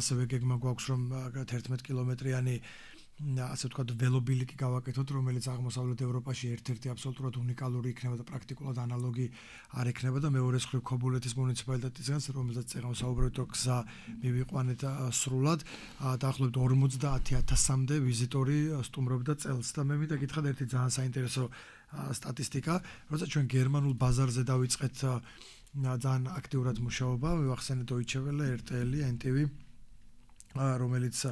ასევე გეგმა გვაქვს რომ 11 კილომეტრიანი ასე ვთქვათ ველობილიკი გავაკეთოთ, რომელიც აღმოსავლეთ ევროპაში ერთ-ერთი აბსოლუტურად უნიკალური იქნება და პრაქტიკულად ანალოგი არ იქნება და მეორე მხრივ ქობულეთის მუნიციპალიტეტისგან, რომელზეც წეგნავს საუბრობთ, რომ გზა მივიყვანეთ სრულად, დაახლოებით 50,000-მდე ვიზიტორი სტუმრობდა წელს და მე მინდა გითხრათ ერთი ძალიან საინტერესო სტატისტიკა, როცა ჩვენ გერმანულ ბაზარზე დავიწყეთ ძალიან აქტიურად მუშაობა, მივახსენეთ Deutsche Welle, RTL, NTV, რომელიც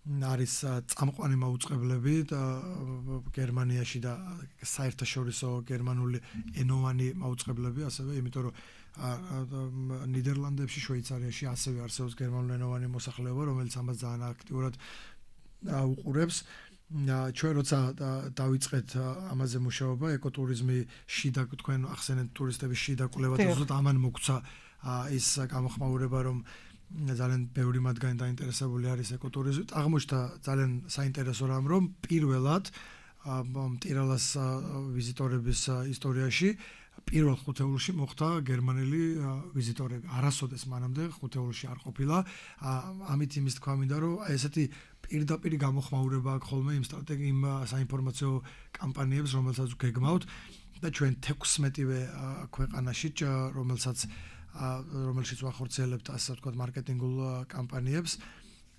არის წამყვანი მაუწყებლები გერმანიაში და საერთაშორისო გერმანული ენოვანი მაუწყებლები, ასევე იმიტომ რომ ნიდერლანდებში, შვეიცარიაში ასევე არსებობს გერმანული ენოვანი მოსახლეობა, რომელიც ამას ძალიან აქტიურად უყურებს. ჩვენ როცა დავიწყეთ ამაზე მუშაობა, ეკოტურიზმი შიდა თქვენ ახსენეთ ტურისტების შიდა კვლევა და ზუსტად ამან მოგვცა ის გამოხმაურება, რომ ძალიან ბევრი მათგანი დაინტერესებული არის ეკოტურიზმით. აღმოჩნდა ძალიან საინტერესო რამ, რომ პირველად მტირალას ვიზიტორების ისტორიაში პირველ ხუთეულში მოხდა გერმანელი ვიზიტორები. არასოდეს მანამდე ხუთეულში არ ყოფილა. ამით იმის თქვა მინდა, რომ ესეთი პირდაპირი გამოხმაურება აქვს ხოლმე იმ სტრატეგიულ საინფორმაციო კამპანიებს, რომელსაც გეგმავთ და ჩვენ 16-ვე ქვეყანაში, რომელშიც ვახორციელებთ ასე ვთქვათ მარკეტინგულ კამპანიებს,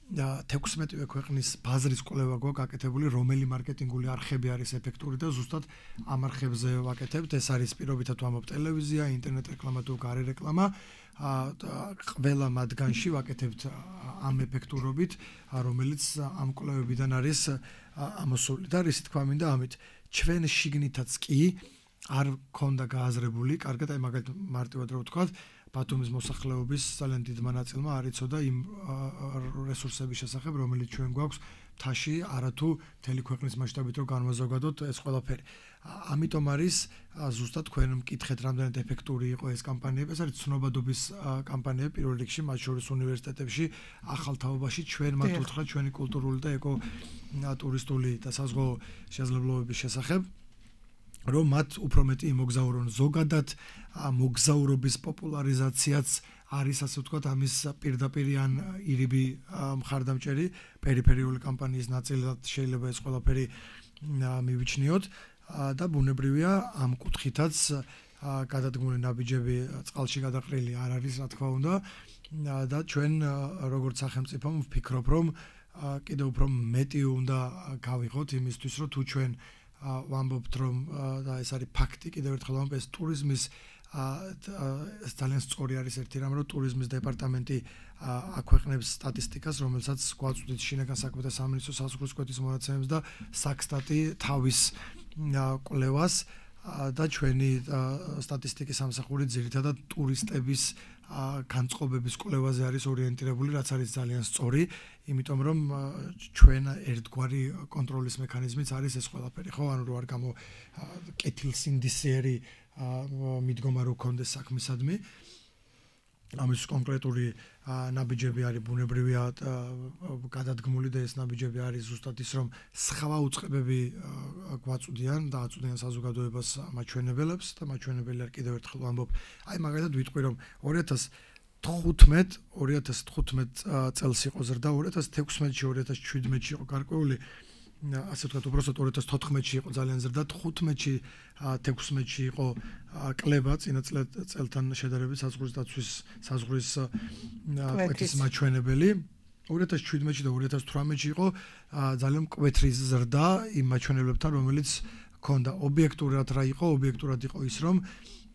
16-ვე ქვეყნის ბაზრის კვლევა გვაქვს გაკეთებული, რომელი მარკეტინგული არხები არის ეფექტური და ზუსტად ამ არხებზე ვაკეთებთ. ეს არის პირობითად ვამბობ ტელევიზია, ინტერნეტ რეკლამა თუ გარე რეკლამა. ყველა მათგანში ვაკეთებთ ამ ეფექტურობით, რომელიც ამ კვლევებიდან არის ამოსული და რის თქმა მინდა ამით ჩვენ შიგნითაც კი არ ქონდა გააზრებული, კარგად, აი მაგალითად მარტივად რო ვთქვათ, ბათუმის მოსახლეობის ძალიან დიდმა ნაწილმა არ იცოდა იმ რესურსების შესახებ, რომელიც ჩვენ გვაქვს მთაში, არათუ მთელი ქვეყნის მასშტაბით რო განვაზოგადოთ ეს ყველაფერი. ამიტომ არის ზუსტად თქვენ მკითხეთ, რამდენად ეფექტური იყო ეს კამპანიები, ეს არის ცნობადობის კამპანიები პირველ რიგში, მათ შორის უნივერსიტეტებში, ახალ თაობაში ჩვენ მათ უთხრათ ჩვენი კულტურული და ეკო-ტურისტული და საზღვაო შესაძლებლობების შესახებ. რომ მათ უფრო მეტი იმოგზაურონ. ზოგადად მოგზაურობის პოპულარიზაციაც არის ასე ვთქვათ ამის პირდაპირი ან ირიბი მხარდამჭერი პერიფერიული კამპანიის ნაწილად შეიძლება ეს ყველაფერი მივიჩნიოთ და ბუნებრივია ამ კუთხითაც გადადგმული ნაბიჯები წყალში გადაყრილი არ არის, რა თქმა უნდა და ჩვენ როგორც სახელმწიფო ვფიქრობ, რომ კიდევ უფრო მეტი უნდა გავიღოთ იმისთვის, რომ თუ ჩვენ ვამბობთ რომ და ეს არის ფაქტი, კიდევ ერთხელ ვამბობ, ეს ტურიზმის ძალიან სწორი არის ერთი რამ, რომ ტურიზმის დეპარტამენტი აქვეყნებს სტატისტიკას, რომელსაც გვაწვდით შინაგან საქმეთა სამინისტროს საზღვრის კვეთის მონაცემებს და საქსტატი თავის კვლევას და ჩვენი სტატისტიკის სამსახური ძირითადად ტურისტების განწყობების კვლევაზე არის ორიენტირებული, რაც არის ძალიან სწორი, იმიტომ რომ ჩვენ ერთგვარი კონტროლის მექანიზმიც არის ეს ყველაფერი, ხო, ანუ რო არ გამო კეთილსინდისიერი მიდგომა რო კონდეს საქმისადმი. ამის კონკრეტული ნაბიჯები არის ბუნებრივია გადადგმული და ეს ნაბიჯები არის ზუსტად ის, რომ სხვა უწყებები გვაწვდიან და აწვდიან საზოგადოებას მაჩვენებელებს და მაჩვენებელი არ კიდევ ერთხელ ვამბობ. აი მაგალითად ვიტყვი, რომ 2015 წელს იყო ზრდა, 2016-ში, 2017-ში იყო გარკვეული, ასე ვთქვათ, უბრალოდ 2014-ში იყო ძალიან ზრდა, 15-ში, 16-ში იყო კლება წინა წელთან შედარებით საზღვრის დაცვის საზღვრის კვეთის მაჩვენებელი. 2017-ში და 2018-ში იყო ძალიან მკვეთრი ზრდა იმ მაჩვენებლებთან, რომელიც ჰქონდა. ობიექტურად რა იყო? ობიექტურად იყო ის, რომ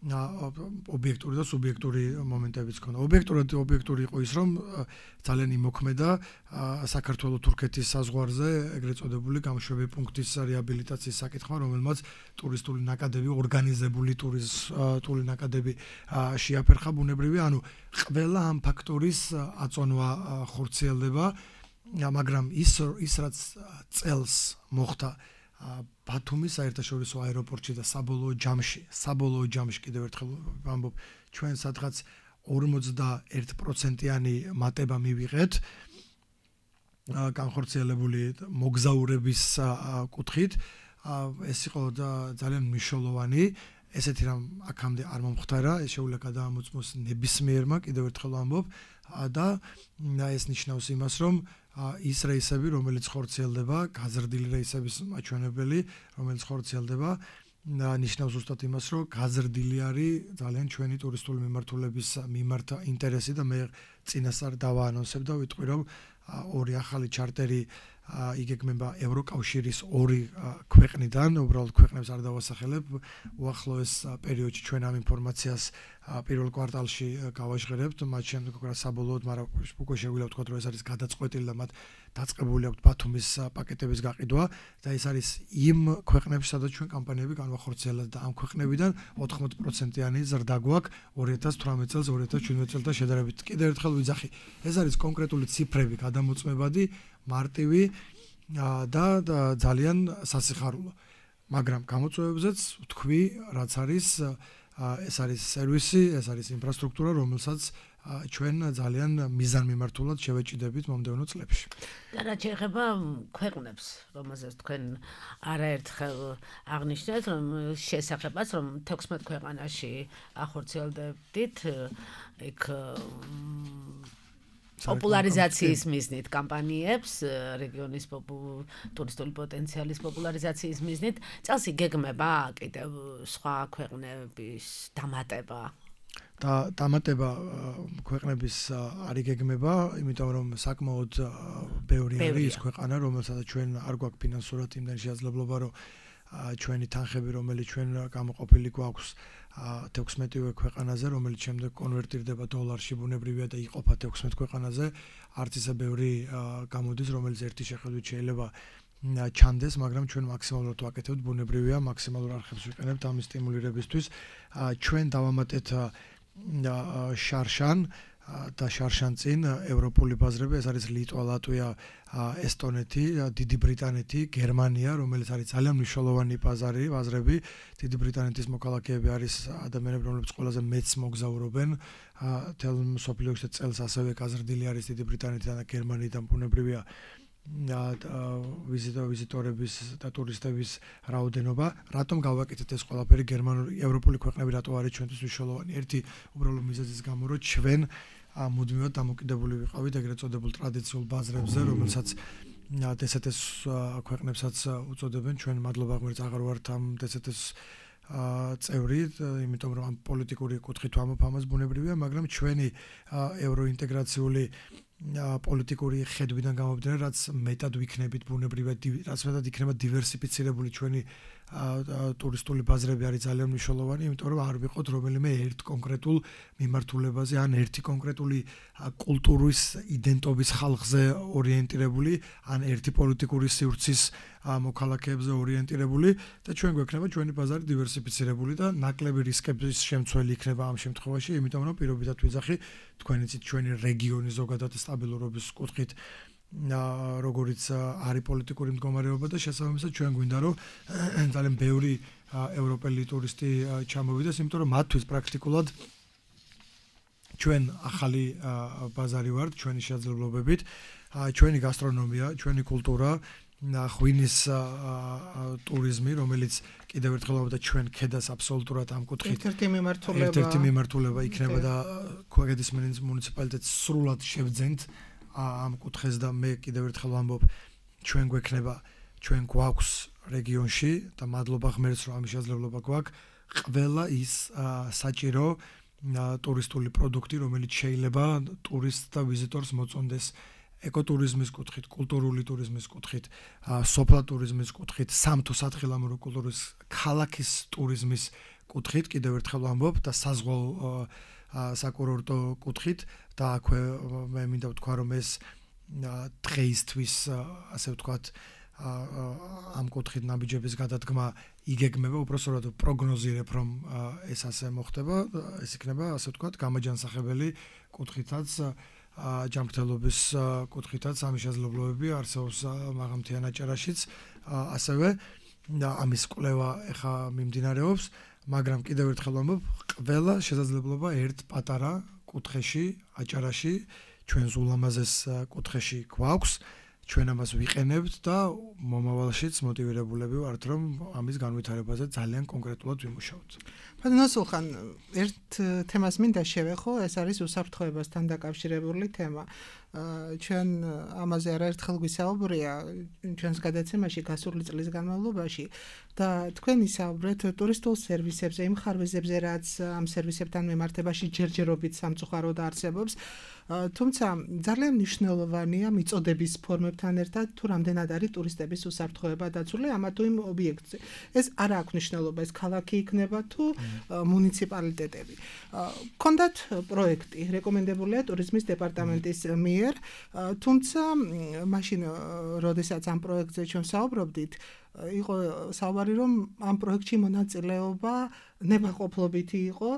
ობიექტური და სუბიექტური მომენტებიც ჰქონდა. ობიექტური იყო ის, რომ ძალიან იმოქმედა საქართველოს-თურქეთის საზღვარზე ეგრეთ წოდებული გამშვები პუნქტის რეაბილიტაციის საკითხმა, რომელმაც ტურისტული ნაკადები, ორგანიზებული ტურისტული ნაკადები შეაფერხა ბუნებრივი, ანუ ყველა ამ ფაქტორის აწონვა ხორციელდება, მაგრამ ის რაც წელს მოხდა ბათუმის საერთაშორისო აეროპორტში და საბოლოო ჯამში კიდევ ერთხელ ვამბობ, ჩვენ სადღაც 41%-იანი მატება მივიღეთ განხორციელებული მოგზაურების კუთხით. ეს იყო ძალიან მნიშვნელოვანი. ესეთი რამ აქამდე არ მომხდარა, ეს შეუძლია გადაამოწმოს ნებისმიერმა, კიდევ ერთხელ ვამბობ, და ეს ნიშნავს იმას, რომ ის რეისები, რომელიც ხორციელდება, გაზრდილი რეისების მაჩვენებელი, რომელიც ხორციელდება, ნიშნავს ზუსტად იმას, რომ გაზრდილი არის ძალიან ჩვენი ტურისტული მიმართულების მიმართ ინტერესი და მე წინასწარ დავაანონსებ და ვიტყვი, რომ ორი ახალი ჩარტერი იგეგმება ევროკავშირის ორი ქვეყნიდან, უბრალოდ ქვეყნებს არ დავასახელებ, უახლოეს პერიოდში ჩვენ ამ ინფორმაციას პირველ კვარტალში გავაჟღერებთ, მათ შემდეგ უკვე საბოლოოდ, მაგრამ უკვე შეგვიძლია ვთქვათ, რომ ეს არის გადაწყვეტილი და მათ დაწყებული აქვს ბათუმის პაკეტების გაყიდვა და ეს არის იმ ქვეყნებში, სადაც ჩვენ კამპანიები განვახორციელებთ და ამ ქვეყნებიდან 80%-იანი ზრდა გვაქვს 2018 წელს 2017 წელთან შედარებით. კიდევ ერთხელ ვიძახი, ეს არის კონკრეტული ციფრები, გადამოწმებადი, მარტივი და ძალიან სასიხარულო. მაგრამ გამოწვევებზეც ვთქვი, რაც არის ეს არის სერვისი, ეს არის ინფრასტრუქტურა, რომელსაც ჩვენ ძალიან მიზანმიმართულად შევეჭიდებით მომდევნო წლებში. და რაც შეეხება ქვეყნებს, რომელზეც თქვენ არაერთხელ აღნიშნეთ, რომ შესახებას, რომ 16 ქვეყანაში ახორციელდებდით, იქ პოპულარიზაციის მიზნით კამპანიებს, რეგიონის ტურისტული პოტენციალის პოპულარიზაციის მიზნით, წელს იგეგმება კიდევ სხვა ქვეყნების დამატება. დამატება ქვეყნების არ იგეგმება, იმიტომ რომ საკმაოდ ბევრი არის ქვეყანა, რომელსაც ჩვენ არ გვაქვს ფინანსურად იმდენ შესაძლებლობა, რომ ჩვენი თანხები, რომელიც ჩვენ გამოყოფილი გვაქვს 16 ქვეყანაზე, რომელიც შემდეგ კონვერტირდება დოლარში, ბუნებრივია და იყოფა 16 ქვეყანაზე, არც ისე ბევრი გამოდის, რომელიც ერთი შეხედვით შეიძლება ჩანდეს, მაგრამ ჩვენ მაქსიმალურად ვაკეთებთ, ბუნებრივია, მაქსიმალურ არხებს ვიყენებთ ამის სტიმულირებისთვის. ჩვენ დავამატეთ შარშან და შარშან წინ ევროპული ბაზრები, ეს არის ლიტვა, ლატვია, ესტონეთი, დიდი ბრიტანეთი, გერმანია, რომელიც არის ძალიან მნიშვნელოვანი ბაზრები. დიდი ბრიტანეთის მოქალაქეები არის ადამიანები, რომლებიც ყველაზე მეც მოგზაურობენ. თელ მსოფლიოში წელს ასევე გაზრდილი არის დიდი ბრიტანეთიდან და გერმანიიდან, ბუნებრივია ვიზიტორების და ტურისტების რაოდენობა. რატომ გავაკეთეთ ეს ყველაფერი? ევროპული ქვეყნები რატო არის ჩვენთვის მნიშვნელოვანი? ერთი უბრალოდ მიზეზის გამო, რომ ჩვენ მუდმივად დამოკიდებული ვიყავით ეგრეთ წოდებულ ტრადიციულ ბაზრებზე, რომელსაც DST-ს ქვეყნებსაც უწოდებენ. ჩვენ მადლობა ღმერთს აღარ ვართ ამ DST-ს წევრი, იმიტომ რომ ამ პოლიტიკური კუთხით ვამბობ ამას, ბუნებრივია, მაგრამ ჩვენი ევროინტეგრაციული პოლიტიკური ხედვიდან გამომდინარე, რაც მეტად ვიქნებით ბუნებრივად, რაც მეტად იქნება დივერსიფიცირებული ჩვენი ტურისტული ბაზრები არის ძალიან მნიშვნელოვანი, იმიტომ რომ არ ვიყოთ რომელიმე ერთ კონკრეტულ მიმართულებაზე, ან ერთი კონკრეტული კულტურის იდენტობის ხალხზე ორიენტირებული, ან ერთი პოლიტიკური სივრცის მოქალაქეებზე ორიენტირებული და ჩვენ გვექნება ჩვენი ბაზარი დივერსიფიცირებული და ნაკლები რისკების შემცველი იქნება ამ შემთხვევაში, იმიტომ რომ პირობითად ვიძახი, თქვენ იცით ჩვენი რეგიონი ზოგადად სტაბილურობის კუთხით როგორც არის პოლიტიკური მდგომარეობა და შესაბამისად ჩვენ გვინდა რომ ძალიან ბევრი ევროპელი ტურისტი ჩამოვიდეს, იმიტომ რომ მათთვის პრაქტიკულად ჩვენ ახალი ბაზარი ვართ ჩვენი შესაძლებლობებით, ჩვენი გასტრონომია, ჩვენი კულტურა, ღვინის ტურიზმი, რომელიც კიდევ ერთხელ ვამბობ და ჩვენ ქედას აბსოლუტურად ამ კუთხით ერთ-ერთი მიმართულება იქნება და ქუაგედის მუნიციპალიტეტს სრულად შევძენთ ამ კუთხეს და მე კიდევ ერთხელ ვამბობ ჩვენ გვაქვს რეგიონში და მადლობა ღმერთს რომ ამის შესაძლებლობა გვაქვს ყველა ის საჭირო ტურისტული პროდუქტი რომელიც შეიძლება ტურისტს და ვიზიტორს მოწონდეს ეკოტურიზმის კუთხით, კულტურული ტურიზმის კუთხით, სოფლა ტურიზმის კუთხით, სამთო-სათხილამურო კულტურის ქალაქის ტურიზმის კუთხით, კიდევ ერთხელ ვამბობ და საზღვაო საკურორტო კუთხით და აქვე მე მინდა ვთქვა რომ ეს დღეისთვის ასე ვთქვათ ამ კუთხით ნაბიჯების გადადგმა იგეგმება, უпроსტოდ პროგნოზირებ რომ ეს ასე მოხდება, ეს იქნება ასე ვთქვათ გამაჯანსაღებელი კუთხითაც ჯანმრთელობის კუთხითაც ამის შესაძლებლობები არსებობს მაღალმთიან აჭარაშიც ასევე ამის კვლევა ეხა მიმდინარეობს მაგრამ კიდევ ერთხელ ვამბობ ყველა შესაძლებლობა ერთ პატარა კუთხეში აჭარაში ჩვენს ულამაზეს კუთხეში გვაქვს ჩვენ ამას ვიყენებთ და მომავალშიც მოტივირებულები ვართ რომ ამის განვითარებაზე ძალიან კონკრეტულად ვიმუშაოთ. ბატონო სულხან, ერთ თემას მინდა შევეხო, ეს არის უსაფრთხოებასთან დაკავშირებული თემა. ჩვენ ამაზე არაერთხელ გვისაუბრია ჩვენს გადაცემაში გასული წლის განმავლობაში და თქვენ ისაუბრეთ ტურისტულ სერვისებზე, იმ ხარვეზებზე, რაც ამ სერვისებთან მიმართებაში ჯერჯერობით სამწუხაროდ არსებობს. თუმცა ძალიან მნიშვნელოვანია მიწოდების ფორმებთან ერთად თუ რამდენად არის ტურისტების უსაფრთხოება დაცული ამა თუ იმ ობიექტზე. ეს არ აქვს მნიშვნელობა, ეს ქალაქი იქნება თუ მუნიციპალიტეტები. Კონდათ პროექტი რეკომენდებულია ტურიზმის დეპარტამენტის მიერ, თუმცა მაშინ როდესაც ამ პროექტზე ჩვენ საუბრობდით, იყო საუბარი რომ ამ პროექტში მონაწილეობა ნებაყოფლობითი იყო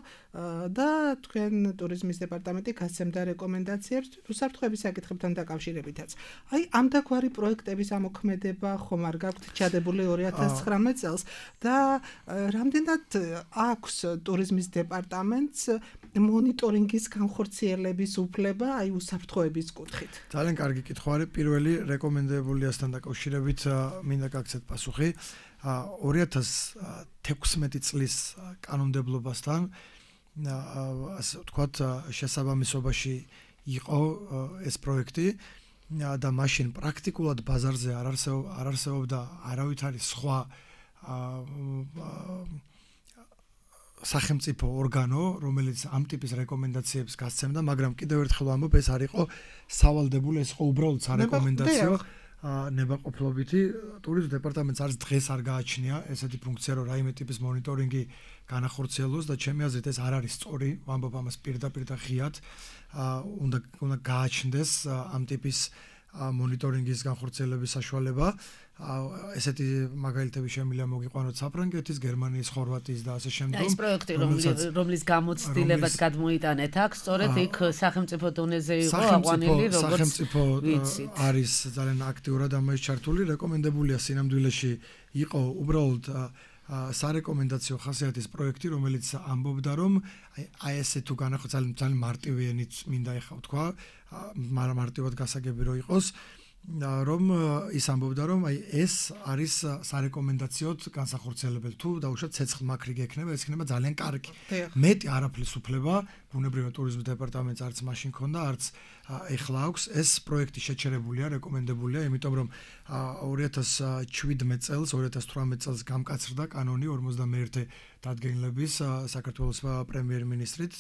და თქვენ ტურიზმის დეპარტამენტი გასცემდა რეკომენდაციებს უსაფრთხოების საკითხებთან დაკავშირებითაც. აი ამ დაგვარი პროექტების ამოქმედება ხომ არ გაქვთ ჩადებული 2019 წელს და რამდენად აქვს ტურიზმის დეპარტამენტს მონიტორინგის განხორციელების უფლება აი უსაფრთხოების კუთხით. ძალიან კარგი კითხვა არის. პირველი რეკომენდებულიასთან დაკავშირებით მინდა გაგცეთ პასუხი. 2016 წლის კანონმდებლობასთან ასე ვთქვათ შესაბამისობაში იყო ეს პროექტი და მაშინ პრაქტიკულად ბაზარზე არ არსებობდა არავითარი სხვა სახელმწიფო ორგანო, რომელიც ამ ტიპის რეკომენდაციებს გასცემდა, მაგრამ კიდევ ერთხელ ვამბობ, ეს არ იყო სავალდებული, ეს იყო უბრალოდ სარეკომენდაციო ნებაყოფლობითი. ტურიზმის დეპარტამენტს არც დღეს არ გააჩნია ესეთი ფუნქცია, რომ რაიმე ტიპის მონიტორინგი განახორციელოს და ჩემი აზრით ეს არ არის სწორი, ვამბობ ამას პირდაპირ და ღიად. უნდა გააჩნდეს ამ ტიპის მონიტორინგის განხორციელების საშუალება. ესეთი მაგალითები შემიძლია მოგიყვანოთ საფრანგეთის, გერმანიის, ხორვატიის და ასე შემდეგ. ეს პროექტი რომლის გამოცდილებაც გადმოიტანეთ აქ, სწორედ იქ სახელმწიფო დონეზე იყო აყვანილი, როგორც სახელმწიფო არის ძალიან აქტიურად ამაში ჩართული, რეკომენდებულია სინამდვილეში იყო უბრალოდ სარეკომენდაციო ხასიათის პროექტი, რომელიც ამბობდა რომ აი ესე თუ განახორციელოს ძალიან მარტივიანიც მინდა ეხა ვთქვა, მარტივად გასაგები რო იყოს. რომ ის ამბობდა რომ აი ეს არის სარეკომენდაციოდ განსახორციელებელი თუ დაუშვათ ცეცხლმაქრიგე ექნება ეს იქნება ძალიან კარგი მეტი არაფრის უფლება ბუნებრივი ტურიზმის დეპარტამენტს არც მაშინ ქონდა არც ეხლა აქვს ეს პროექტი შეჩერებულია რეკომენდებულია იმიტომ რომ 2017 წელს 2018 წელს გამკაცრდა კანონი 51 დადგენილების საქართველოს პრემიერ-მინისტრით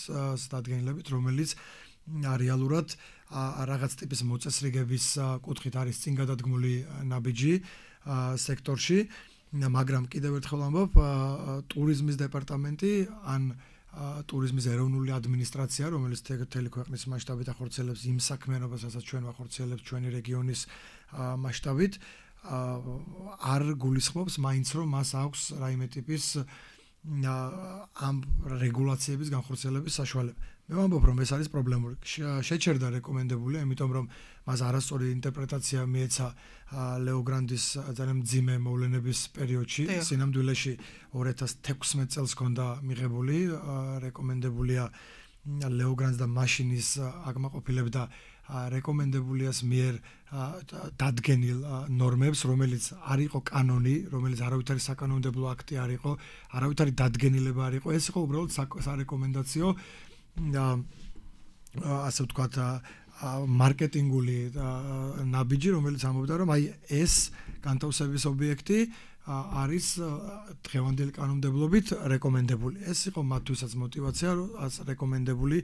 დადგენილებით რომელიც რეალურად რაღაც ტიპის მოწესრიგების კუთხით არის წინ გადადგმული ნაბიჯი სექტორში, მაგრამ კიდევ ერთხელ ვამბობ, ტურიზმის დეპარტამენტი ან ტურიზმის ეროვნული ადმინისტრაცია, რომელიც მთელი ქვეყნის მასშტაბით ახორციელებს იმ საქმიანობასაც ჩვენ ვახორციელებთ ჩვენი რეგიონის მასშტაბით, არ გულისხმობს მაინც რომ მას აქვს რაიმე ტიპის ამ რეგულაციების განხორციელების საშუალება. მე ვამბობ რომ ეს არის პრობლემური. შეჩერდა რეკომენდებულია, იმიტომ რომ მას არასწორი ინტერპრეტაცია მიეცა ლეო გრანდის ძალიან მძიმე მოვლენების პერიოდში. სინამდვილეში 2016 წელს ჰქონდა მიღებული რეკომენდებულია ლეო გრანს და მაშინის აკმაყოფილებდა რეკომენდებულია მიერ დადგენილ ნორმებს, რომელიც არ იყო კანონი, რომელიც არავითარი საკანონმდებლო აქტი არ იყო, არავითარი დადგენილება არ იყო, ეს იყო უბრალოდ სარეკომენდაციო ასე ვთქვათ მარკეტინგული ნაბიჯი, რომელიც ამბობდა, რომ აი ეს განთავსების ობიექტი არის დღევანდელი კანონმდებლობით რეკომენდებული. ეს იყო მათთვისაც мотиваცია, რომ რეკომენდებული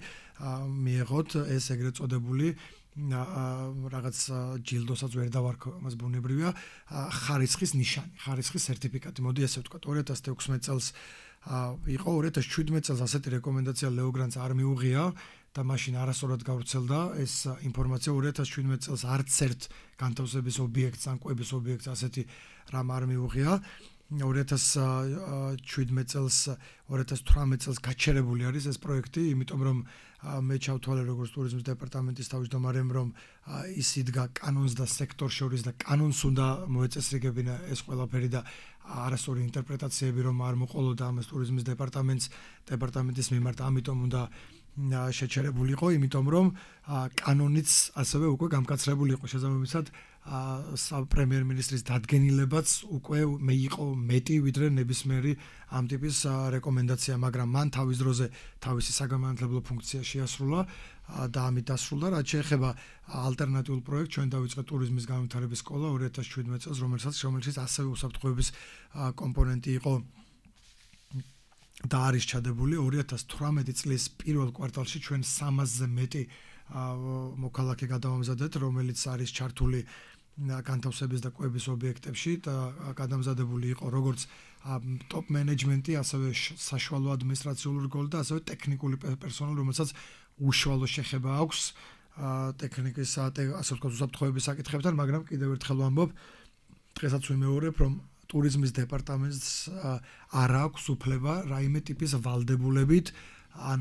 მიიღოთ ეს ეგრეთ წოდებული რაღაც ჯილდოსაც ვერ დავარქვა, მას ბუნებრივია ხარისხის ნიშანი, ხარისხის სერტიფიკატი. მოდი ესე ვთქვათ, 2016 წელს იყო 2017 წელს ასეთი რეკომენდაცია ლეოგრანს არ მიუღია და მაშინ არასწორად გავრცელდა ეს ინფორმაცია 2017 წელს არც ერთ განთავსების ობიექტს ან კვების ობიექტს ასეთი რამ არ მიუღია 2017 წელს 2018 წელს გაჩერებული არის ეს პროექტი, იმიტომ რომ მე ჩავთვალე როგორც ტურიზმის დეპარტამენტის თავმჯდომარემ, რომ ის იდგა კანონს და სექტორს შორის და კანონს უნდა მოეწესრიგებინა ეს ყველაფერი და არასწორი ინტერპრეტაციები რომ არ მოყოლოდა ამას ტურიზმის დეპარტამენტის მიმართ, ამიტომ უნდა შეჩერებულიყო, იმიტომ რომ კანონიც ასევე უკვე გამკაცრებული იყო შესაბამისად პრემიერ-მინისტრის დადგენილებაც უკვე იყო მეტი ვიდრე ნებისმიერი ამ ტიპის რეკომენდაცია, მაგრამ მან თავის დროზე თავისი საგამანათლებლო ფუნქცია შეასრულა და ამით დასრულდა, რაც შეეხება ალტერნატიულ პროექტს, ჩვენ დავიწყეთ ტურიზმის განვითარების სკოლა 2017 წელს, რომელშიც ასევე უსაფრთხოების კომპონენტი იყო და არის ჩადებული 2018 წლის პირველ კვარტალში ჩვენ 300-ზე მეტი მოქალაქე გადავამზადეთ, რომელიც არის ჩართული განთავსების და კვების ობიექტებში და გადამზადებული იყო როგორც ტოპ მენეჯმენტი, ასევე საშუალო ადმინისტრაციული რგოლი და ასევე ტექნიკური პერსონალი, რომელსაც უშუალო შეხება აქვს ტექნიკის ასე ვთქვათ უსაფრთხოების საკითხებთან, მაგრამ კიდევ ერთხელ ვამბობ, დღესაც ვიმეორებ, რომ ტურიზმის დეპარტამენტს არ აქვს უფლება რაიმე ტიპის ვალდებულებით ან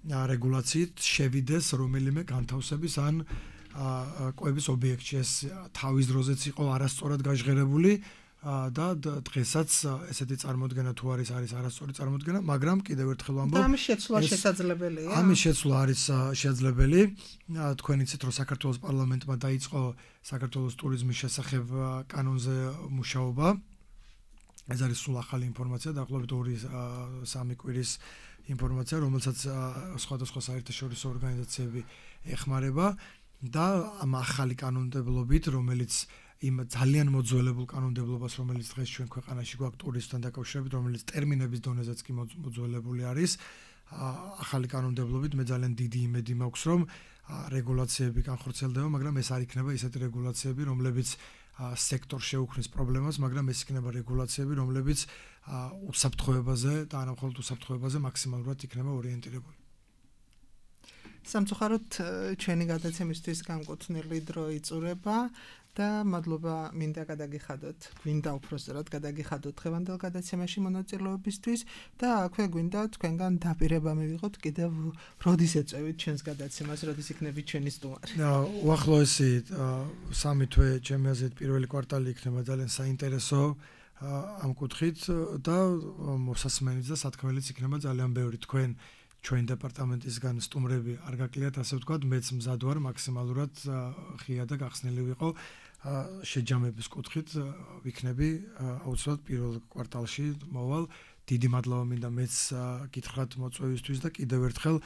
რეგულაციით შევიდეს რომელიმე განთავსების ან კვების ობიექტში. ეს თავის დროზეც იყო არასწორად გაჟღერებული და დღესაც ესეთი წარმოდგენა თუ არის არასწორი წარმოდგენა, მაგრამ კიდევ ერთხელ ვამბობ, ამის შეცვლა შესაძლებელია. ამის შეცვლა არის შესაძლებელი. თქვენ იცით, რომ საქართველოს პარლამენტმა დაიწყო საქართველოს ტურიზმის შესახებ კანონზე მუშაობა. ეს არის სულ ახალი ინფორმაცია, დაახლოებით 2-3 კვირის ინფორმაცია, რომელსაც სხვადასხვა საერთაშორისო ორგანიზაციები ეხმარება და ამ ახალი კანონმდებლობით, რომელიც იმ ძალიან მოძველებულ კანონმდებლობას, რომელიც დღეს ჩვენ ქვეყანაში გვაქვს ტურიზმთან დაკავშირებით, რომელიც ტერმინების დონეზეც კი მოძველებული არის, ახალი კანონმდებლობით მე ძალიან დიდი იმედი მაქვს, რომ რეგულაციები განხორციელდება, მაგრამ ეს არ იქნება ისეთი რეგულაციები, რომლებიც სექტორს შეუქმნის პრობლემას, მაგრამ ეს იქნება რეგულაციები, რომლებიც უსაფრთხოებაზე და არა მხოლოდ უსაფრთხოებაზე მაქსიმალურად იქნება ორიენტირებული. სამწუხაროდ ჩვენი გადაცემისთვის განკუთვნილი დრო იწურება და მადლობა მინდა გადაგიხადოთ, გვინდა უпроსტად გადაგიხადოთ დღევანდელ გადაცემაში მონაწილეობისთვის და აქვე გვინდა თქვენგან დაპირება მივიღოთ კიდევ როდის ეწევით ჩვენს გადაცემას, როდის იქნებით ჩვენი სტუმარი. უახლოესი 3 თვე ჩემი აზრით პირველი კვარტალი იქნება ძალიან საინტერესო ამ კუთხით და მოსასმენიც და სათქმელიც იქნება ძალიან ბევრი. თქვენ ჩვენ დეპარტამენტისგან სტუმრები არ გაკლიათ, ასე ვთქვათ, მეც მზად ვარ მაქსიმალურად ღია და გახსნილი ვიყო შეჯამების კუთხით ვიქნები აუცილებლად პირველ კვარტალში მოვალ. დიდი მადლობა მინდა მეც გითხრათ მოწვევისთვის და კიდევ ერთხელ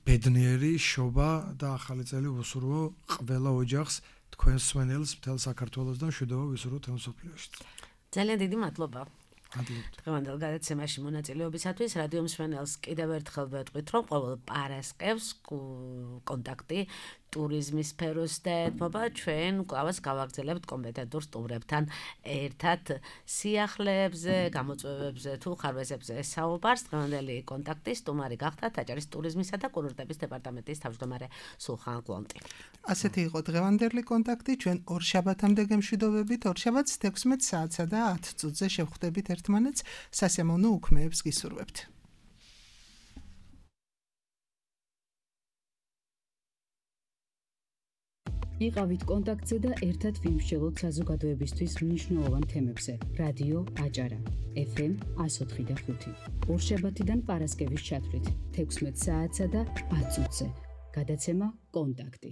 ბედნიერი შობა და ახალი წელი ვუსურვო ყველა ოჯახს, თქვენ მსმენელს მთელ საქართველოს და მშვიდობა ვისურვო მთელ მსოფლიოში. ძალიან დიდი მადლობა. დღევანდელ გადაცემაში მონაწილეობისათვის რადიო მსმენელს კიდევ ერთხელ ვეთყვით, რომ ყოველ პარასკევს კონტაქტი ტურიზმის სფეროს და ეთმობა ჩვენ კვლავაც გავაგრძელებთ კომპეტენტურ სტუმრებთან ერთად სიახლეებზე, გამოწვევებზე თუ ხარვეზებზე საუბარს. დღევანდელი კონტაქტი სტუმარი გახდა ტაჯარის ტურიზმისა და კურორტების დეპარტამენტის თავმჯდომარე სულხან ყლონტი. ასეთი იყო დღევანდელი კონტაქტი, ჩვენ ორშაბათამდე გემშვიდობებით, ორშაბათს 16 საათსა და 10 წუთზე შევხვდებით ერთმანეთს, სასიამოვნო უქმეებს გისურვებთ. იყავით კონტაქტზე და ერთად ვიმსჯელოთ საზოგადოებისთვის მნიშვნელოვან თემებზე. რადიო აჭარა, FM 104.5. ორშაბათიდან პარასკევის ჩათვლით 16 საათსა და 10 წუთზე. გადაცემა კონტაქტი.